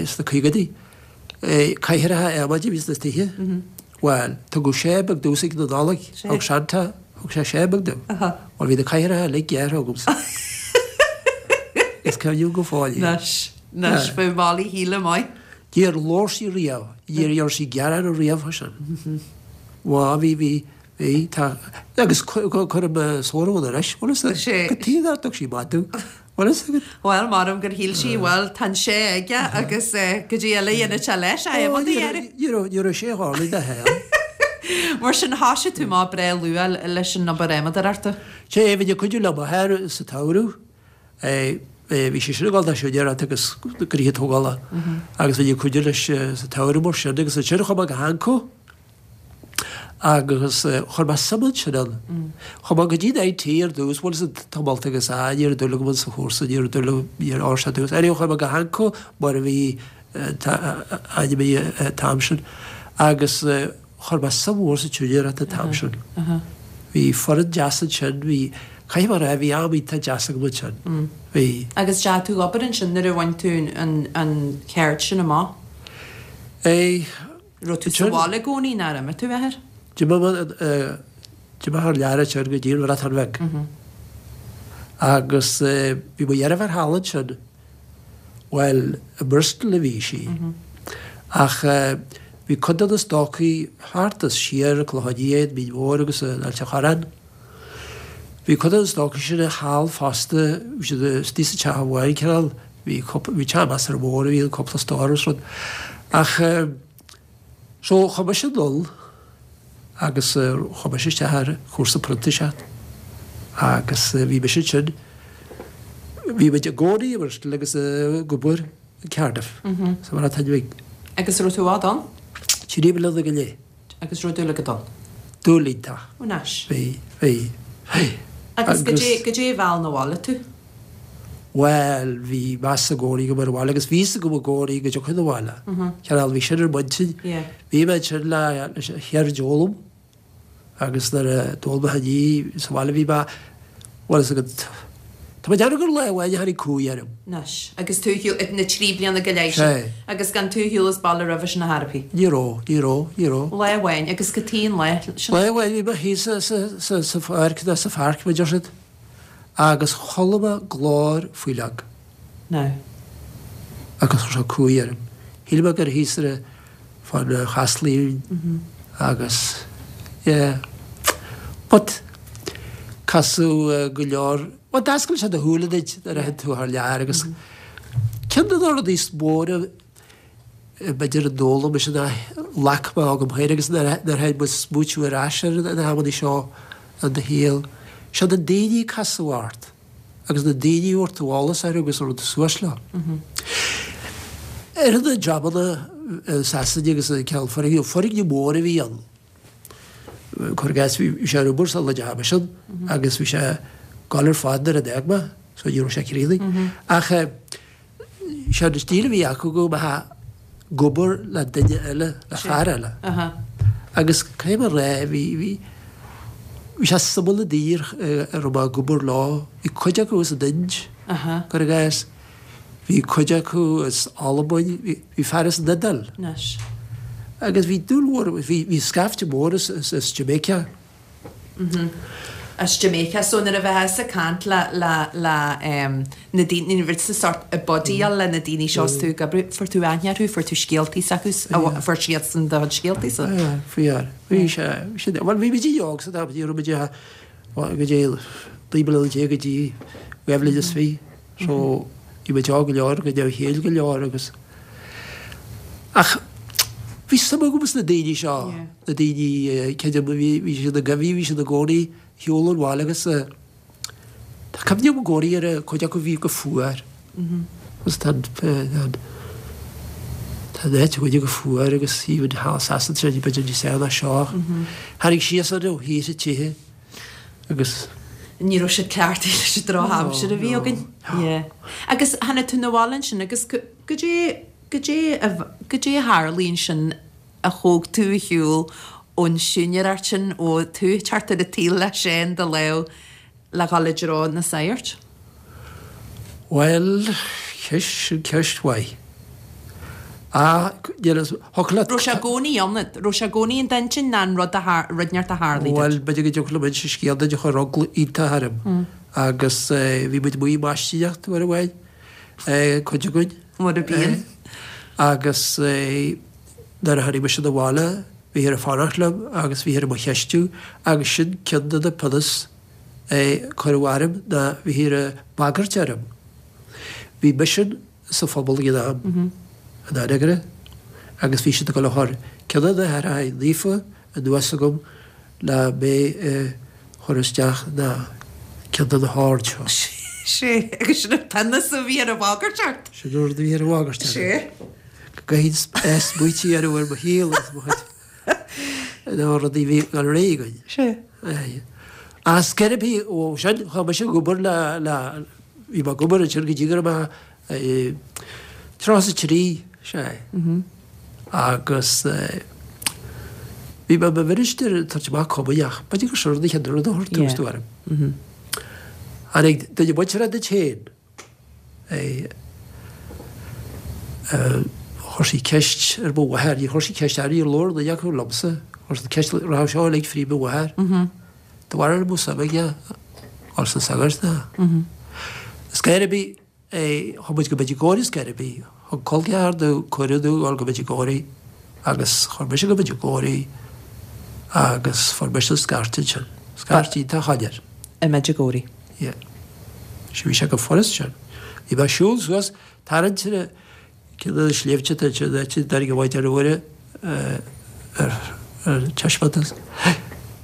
sna caogaidí, cathaoireacha adhmaid a bhí sna tithe. Bhuel, tugadh sé beag domhsa ag na Nollag, thug Santa, thug sé sé beag domh. Bhuel, bhí na cathaoireacha uilig gearrtha agamsa. Is cuimhin liom go fóill é. Anois, anois, bheadh Molly Shíle maith. Níor labhair sí riamh, níor dhear sí gearán riamh fá sin. Bhuel, bhí, bhí, bhí, tá, agus cuirim sórramh ann anois, bhfuil fhios agat, cad chuige nár thug sí maith domh. Bhfuil fhios agat? Bhuel, measaim gur shíl sí, bhuel, tá an sé aige agus goidé eile a dhéanfadh sé leis, adhmad a ghearradh. Ní raibh, ní raibh sé dhorlaigh de shaol. Mar sin, thoisigh tú amach breá luath leis an obair adhmadóireachta. Sea, bhínn ag cuidiú le m'athair sa tsamhradh. Bhí sé sin ag dul do siúinéireacht agus gnoithe tógála agus bhínn ag cuidiú leis sa tsamhradh mar sin agus ansin chuaigh mé go hAnco. Agus chuir mé suim ansin ann. Chuaigh mé go dtí an IT ar dtús, bhuel sa tumult agus ah ní raibh dúil agam sa chúrsa, ní raibh dúil agam, ní raibh sé dúil. Anyway chuaigh mé go hAnco mar a bhí ainm an t-am sin agus chuir mé suim mhór sa tsiúinéireacht an t-am sin. Bhí foireann deas ansin, bhí, caithfidh mé a rá, bhí am iontach deas agam ansin. Bhí. Agus deachaigh tú ag obair ansin nuair a bhain tú an cheird sin amach? Eh. Raibh tú sa bhaile i gcónaí nó ar imigh tú, a athair? D'imigh mé D'imigh thar lear ansin go dtí an Bhreatain Bheag. Agus bhí mo dheirfiúr thall ansin, bhuel, i mBristol a bhí sí, ach bhí cuid de na stócaigh thart is siar, Clochán Liath, Mín Mhór agus an Ailt a' Chorráin. Bhí cuid de na stócaigh sin thall fosta, bhí siad istigh sa teach amháin, cineál, bhí cúpla, bhí teach measartha mór a bhí ann, cúpla stór agus rud. Ach so chuaigh mise anall agus chuaigh mise isteach ar chúrsa printíseacht agus bhí mise ansin, bhí muid i gcónaí i mBristol agus ag obair i Cardiff sa Bhreatain Bheag. Agus raibh tú i bhfad ann? Trí bliana go leith. Agus raibh dúil agat ann? Dúil iontach. Anois. Bhí, bhí, bhí. Agus goidé, goidé a mheall 'na bhaile tú? Bhuel, bhí meas i gcónaí agam ar an bhaile agus bhí fhios agam i gcónaí go dtiocfainn abhaile. Cineál, bhí sin ar m'intinn. Bhí mé ansin le leis an cheird a fhoghlaim agus nuair a d'fhoghlaim mé í sa bhaile bhí mé, bhuel is agat, tá mé ag déanamh gur lá amháin a tháinig cumhaidh orm. Anois, agus tú ar shiúl, na trí bliana go leith sin. Agus gan tú ar shiúl as baile roimhe sin ar chor ar bith. Ní raibh, ní raibh, ní raibh. Lá amháin, agus cad chuige an lá sin. Lá amháin bhí mé thíos sa, sa, sa, sa pháirc, nó sa pháirc, mar a deir siad. Agus chuala mé glór faoi lag. Now. Agus chuir sé cumhaidh orm. Shíl mé gur thíos ar fán Chaisleán agus yeah. But casadh go leor, bhuel d'oscail sé do shúile duit nuair a théann tú thar lear agus ceann de na rudaí is móire b'fhéidir a d'fhoghlaim mise ná ghlac mé agam féin agus nuair a théann muid smaoitiú ar ais ar na hamanna seo i do shaol, siad na daoine a casadh ort agus na daoine a bhfuair tú eolas orthu agus a raibh tú suas leo. Ar na jabanna i Sasana agus i gceann foirgneamh, foirgneamh mór a bhí ann. Cuir i gcás, bhí sé ar obair sula dteachaigh mise ann agus bhí sé ag gabháil ar fad nuair a d'fhág mé, so ní raibh sé críochnaithe. Ach sé an stíl a bhí acu go mbeifeá ag obair le duine eile, le fear eile. Agus caithfidh mé a rá, bhí, bhí, bhí sé suimiúil na daoine a raibh mé ag obair leo, bhí cuid acu as an Ind, cuir i gcás, bhí cuid acu as Albain, bhí, bhí fear as an Iodáil. Agus bhí dúil mhór, bhí, bhí scaifte mór as, as, as Jamaica. As Jamaica. So nuair a bheifeá ag caint le, le, le ehm na daoine, nuair a bhí tú sort ag buddyáil le na daoine seo is tú ag oibriú, fuair tú aithne orthu, fuair tú scéaltaí s'acu, fuair siadsan do chuid scéaltaí sa. Aye, fuair. Bhí sé, bhí sé, bhuel bhí muid óg san am, ní raibh muid ach go dtí naoi mbliana déag go dtí dhá bhliain is fiche. So bhí muid óg go leor, go neamhchéill go leor agus ach bhí suim agam sna daoine seo, na daoine creidim bhí bhí siad ina gcoimí, bhí siad i gcónaí ar shiúl ón bhaile agus tá cuimhne agam i gcónaí ar chuid acu a bhí go fuar. Agus tá an tá an áit againne go fuar agus even thall Sasana tá sé b'fhéidir níos fearr ná seo. Tháinig síos orthu thíos i tithe agus. Ní raibh siad cleachtaithe leis an drochaimsir a bhí againn. Yeah. Agus tháinig tú 'na bhaile ansin agus goidé, goidé a, goidé a tharlaigh ansin a thóg tú ar shiúl ón siúinéireacht sin, ó tú ag teacht ar an tsaol le Seán i do lámh le dhul i dtreo na sagart? Bhuel, ceist, sin ceist mhaith. Ah, níl fhios, thiocfadh leat. Raibh sé i gcónaí ann, raibh sé i gcónaí in d'intinn ná an rud a thar, rud inteacht a tharlaigh duit? Bhuel, b'fhéidir go dtiocfadh liom inse scéal duit a chuir eagla iontach orm agus bhí muid amuigh ag maistíneacht uair amháin, cuid againn. Mar a bhíonn. Agus nuair a tháinig mise 'na bhaile, bhíthear ag fanacht liom agus bhíthear i mo cheistiú agus sin ceann de na pionóis a cuireadh orm ná bhíthear ag bagairt orm. Bhí misean sa phobal ag an am, in Anagaire, agus bhí siad ag dul a chur ceann de na haithreacha naofa anuas agam le mé a chur isteach ina ceann de na hoird seo. Sé, agus sin an pionós a bhí ar an bhagairt ort. Sin an rud a bhí ar an bhagairt orm. Sé. Go gcaithfinn smaoitiú ar ar mo shaol agus mo chuid na rudaí a bhí ag dul ar aghaidh againn. Sé. Aye. As ceiripí, ó sin, chuaigh mise ag obair le, le, bhí mé ag obair ansin go dtí go raibh mé tríocha is a trí, sea. Agus bhí mé i mo mhinistir ag tabhairt amach comaoineach. B'fhéidir gur sin an chéad rud a chuir tús orm. Tháinig duine muinteartha duit féin, chuir sí ceist ar mo mháthair, níor chuir sí ceist orm, níor labhair duine acu liomsa, chuir sí ceist, rachadh seo uilig fríd mo mháthair. De bharr an mbeadh suim aige dhul sna sagairt ná. Scor ar bith, chuaigh muid go Medjugorje scor ar bith. Thug col ceathar domh cuireadh domh dhul go Medjugorje agus chuir mise go Medjugorje agus fuair mise an scairt ansin. Scairt iontach shoiléir. I Medjugorje. Yeah. Sea, bhí sé go furast sin. Bhí mé ag siúl suas, tarraingt ar ceann de na sléibhte atá ansin, áit a dtáinig an Mhaighdean Mhuire ar ar taispeántas.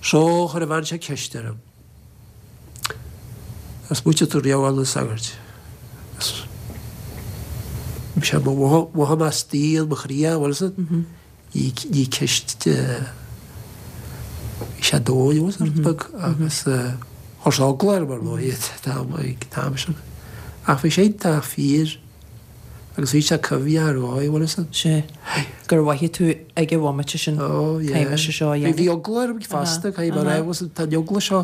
So chuir an bhean seo ceist orm. Ar smaointigh tú riamh dhul na sagairt? Agus bhí sé, mhothaigh mé istigh i mo chroí é, bhfuil fhios agat? Ní ní ceist bhí sé dóigh, bhfuil fhios agat, beag agus chuir sé eagla orm ar ndóigh ag an t-am sin. Ach bhí sé iontach fíor agus bhí sé cuimhneach ar dhóigh, bhfuil fhios agat. Sea. Gur mhothaigh tú ag an bhomaite sin, Ó, yeah. caithfidh mise seo a dhéanamh. Bhí eagla orm fosta, caithfidh mé a rá, bhfuil fhios agat, tá an eagla seo,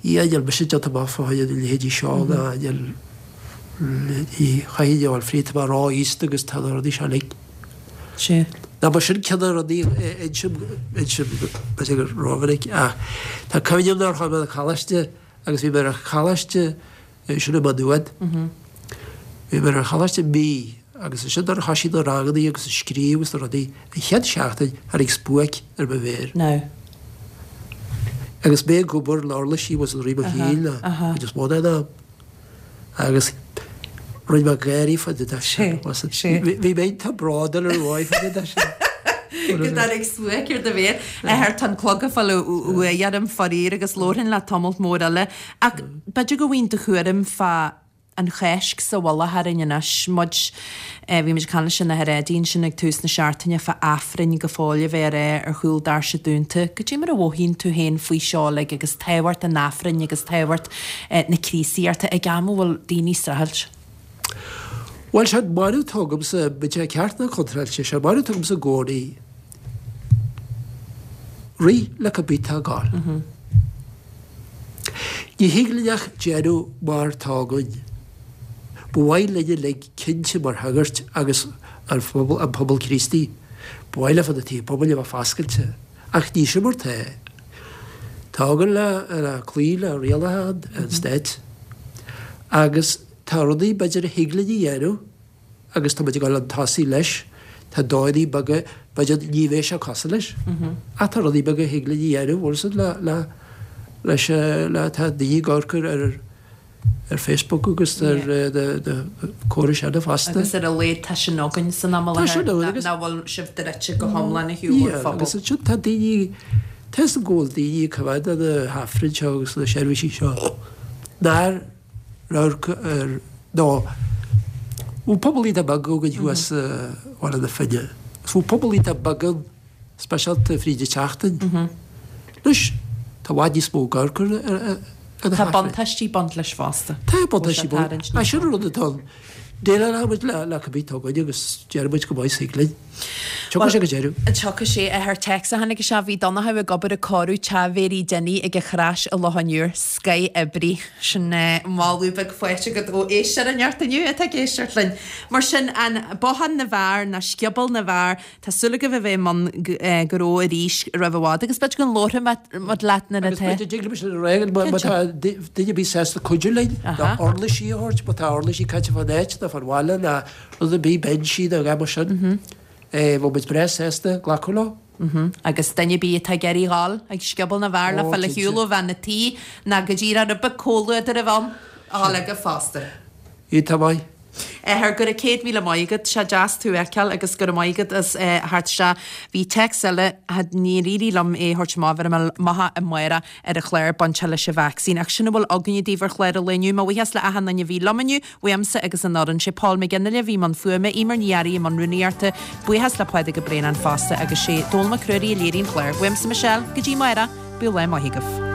yeah, níl mise déanta amach fá choinne na leithéidí seo ná níl, ní chaithfidh a fháil fríd, tá mé ró-aosta agus tá na rudaí seo uilig. Sea. Ná ba sin ceann de na rudaí, insim, insim, b'fhéidir gur rómhinic ach tá cuimhne agam nuair a chuaigh mé chun coláiste agus bhí mé ar choláiste sin i Maigh Nuad. Bhí mé ar an choláiste mí agus ansin nuair a thoisigh na rangannaí agus an scríobh agus na rudaí, an chéad seachtain tháinig spuaic ar mo mhéir. Now. Agus mé ag obair le uirlisí was i rith mo shaoil an chuid is mó den am. Agus rinne mé gáirí fá dtaobh de sin. Bhí mé iontach bródúil ar dhóigh fá dtaobh de sin. Go dtáinig spuaic ar do mhéir. Athair, tá an clog ag fáil uaidh orm faraor agus labharfainn leat tamalt mór eile. Ach b'fhéidir go bhfaighinn do thuairim fá an Cháisc sa mhullach orainn anois. Muid, bhí muid ag caint leis an Athair Eddie ansin ag tús na seachtaine fá Aifrinn go fóill a bheith á rá ar chúl doirse dúnta. Goidé mar a mhothaíonn tú féin faoi seo uilig agus tábhacht an Aifrinn agus tábhacht na Críostaíochta ag am a bhfuil daoine ag streachailt? Bhuel, sé an barúil atá agamsa, bíodh sé ceart nó contráilte, sé an barúil atá agamsa i gcónaí, rith le cibé atá ag gabháil. Ní thig linn ach déanamh mar tá againn. Ba mhaith linn uilig cinnte mar shagairt agus an phobal, an pobal Críostaí, ba mhaith leofa na tithe pobail a bheith foscailte. Ach ní sin mar tá. Tá againn le, le cloí le rialacha an stáit. Agus tá rudaí b'fhéidir a thig linn a dhéanamh agus tá muid ag dul chun tosaigh leis, tá dóigheanna beaga, b'fhéidir ní bheidh sé cosúil leis, ach tá rudaí beaga a thig linn a dhéanamh, bhfuil fhios agat, le, le, leis, le, tá daoine ag amharc ar, ar, ar Facebook agus ar na, na córais eile fosta. Agus ar a laghad tá sin againn san am i Tá sin láthair, againn agus. nach bhfuil sibh druidte go hiomlán ar shiúl ón Yeah, phobal. agus ansin tá daoine, tá fhios agam go bhfuil daoine ag coimhéad na hAifrinn seo agus na seirbhísí seo nár radharc ar nó bhí pobal iontach beag againn thuas i Baile na Finne. Agus bhí pobal iontach beag ann, speisialta fríd an tseachtain. Anois, tá i bhfad níos mó ag amharc ar ar na Tá hAifrinn. buntáistí ag baint leis fosta. Tá buntáistí Bhfuil sé baint. tarraingt Ach níos sin mó. an rud atá ann. Déileálfaidh muid le le cibé atá againn agus déarfaidh muid go maith is thig linn. Tiocfaidh sé go deireadh. Tiocfaidh sé. Athair téacs a tháinig isteach, bhí Donnchadh ag obair ag cóiriú teach Mhéirí Dinny ag an Chrois i Loch an Iúir. Scoith oibrí. Sin moladh beag faighte agat ó éisteoir inteacht inniu atá ag éisteacht linn. Mar sin, an Bothán na bhFear ná Scioból na bhFear, tá súil agaibh a bheith i mbun gnó arís roimh i bhfad agus b'fhéidir go labharfaidh muid leat nuair Agus atá. b'fhéidir dtig liom sin a rá, má tá duine ar bith sásta cuidiú linn, ná uirlisí a thabhairt, má tá uirlisí caite fán áit nó fán bhaile ná rud ar bith, binsí nó a dhath mar sin, bheadh muid breá sásta glacadh leo. Agus duine ar bith atá ag iarraidh dhul ag Scioból na bhFear le Ó, fáil ar cinnte. shiúl ó bhean a' tí ná go díreach rud beag comhluadar a bheith ann, a dhul aige fosta. Iontach maith. Athair, go raibh céad míle maith agat, sé deas tú a fheiceáil agus go raibh maith agat as theacht isteach. Bhí téacs eile, níor éirigh liom é a thabhairt amach, bhéarfaidh mé amach amárach ar an chlár bainteach leis an vacsaín. Ach sin a bhfuil againne daoibh ar chlár an lae inniu. Mo bhuíochas le achan duine a bhí liom inniu, uaimse agus an fhoireann. Sé Paul McGinley a bhí i mbun fuaime, Eimear Ní Fhearraigh i mbun rúnaíochta, buíochas le Pádraig Ó Braonáin fosta agus sé Dónall Mac Ruairí a léirigh an clár. Uaimse Michelle, go dtí amárach, bíodh lá maith agaibh.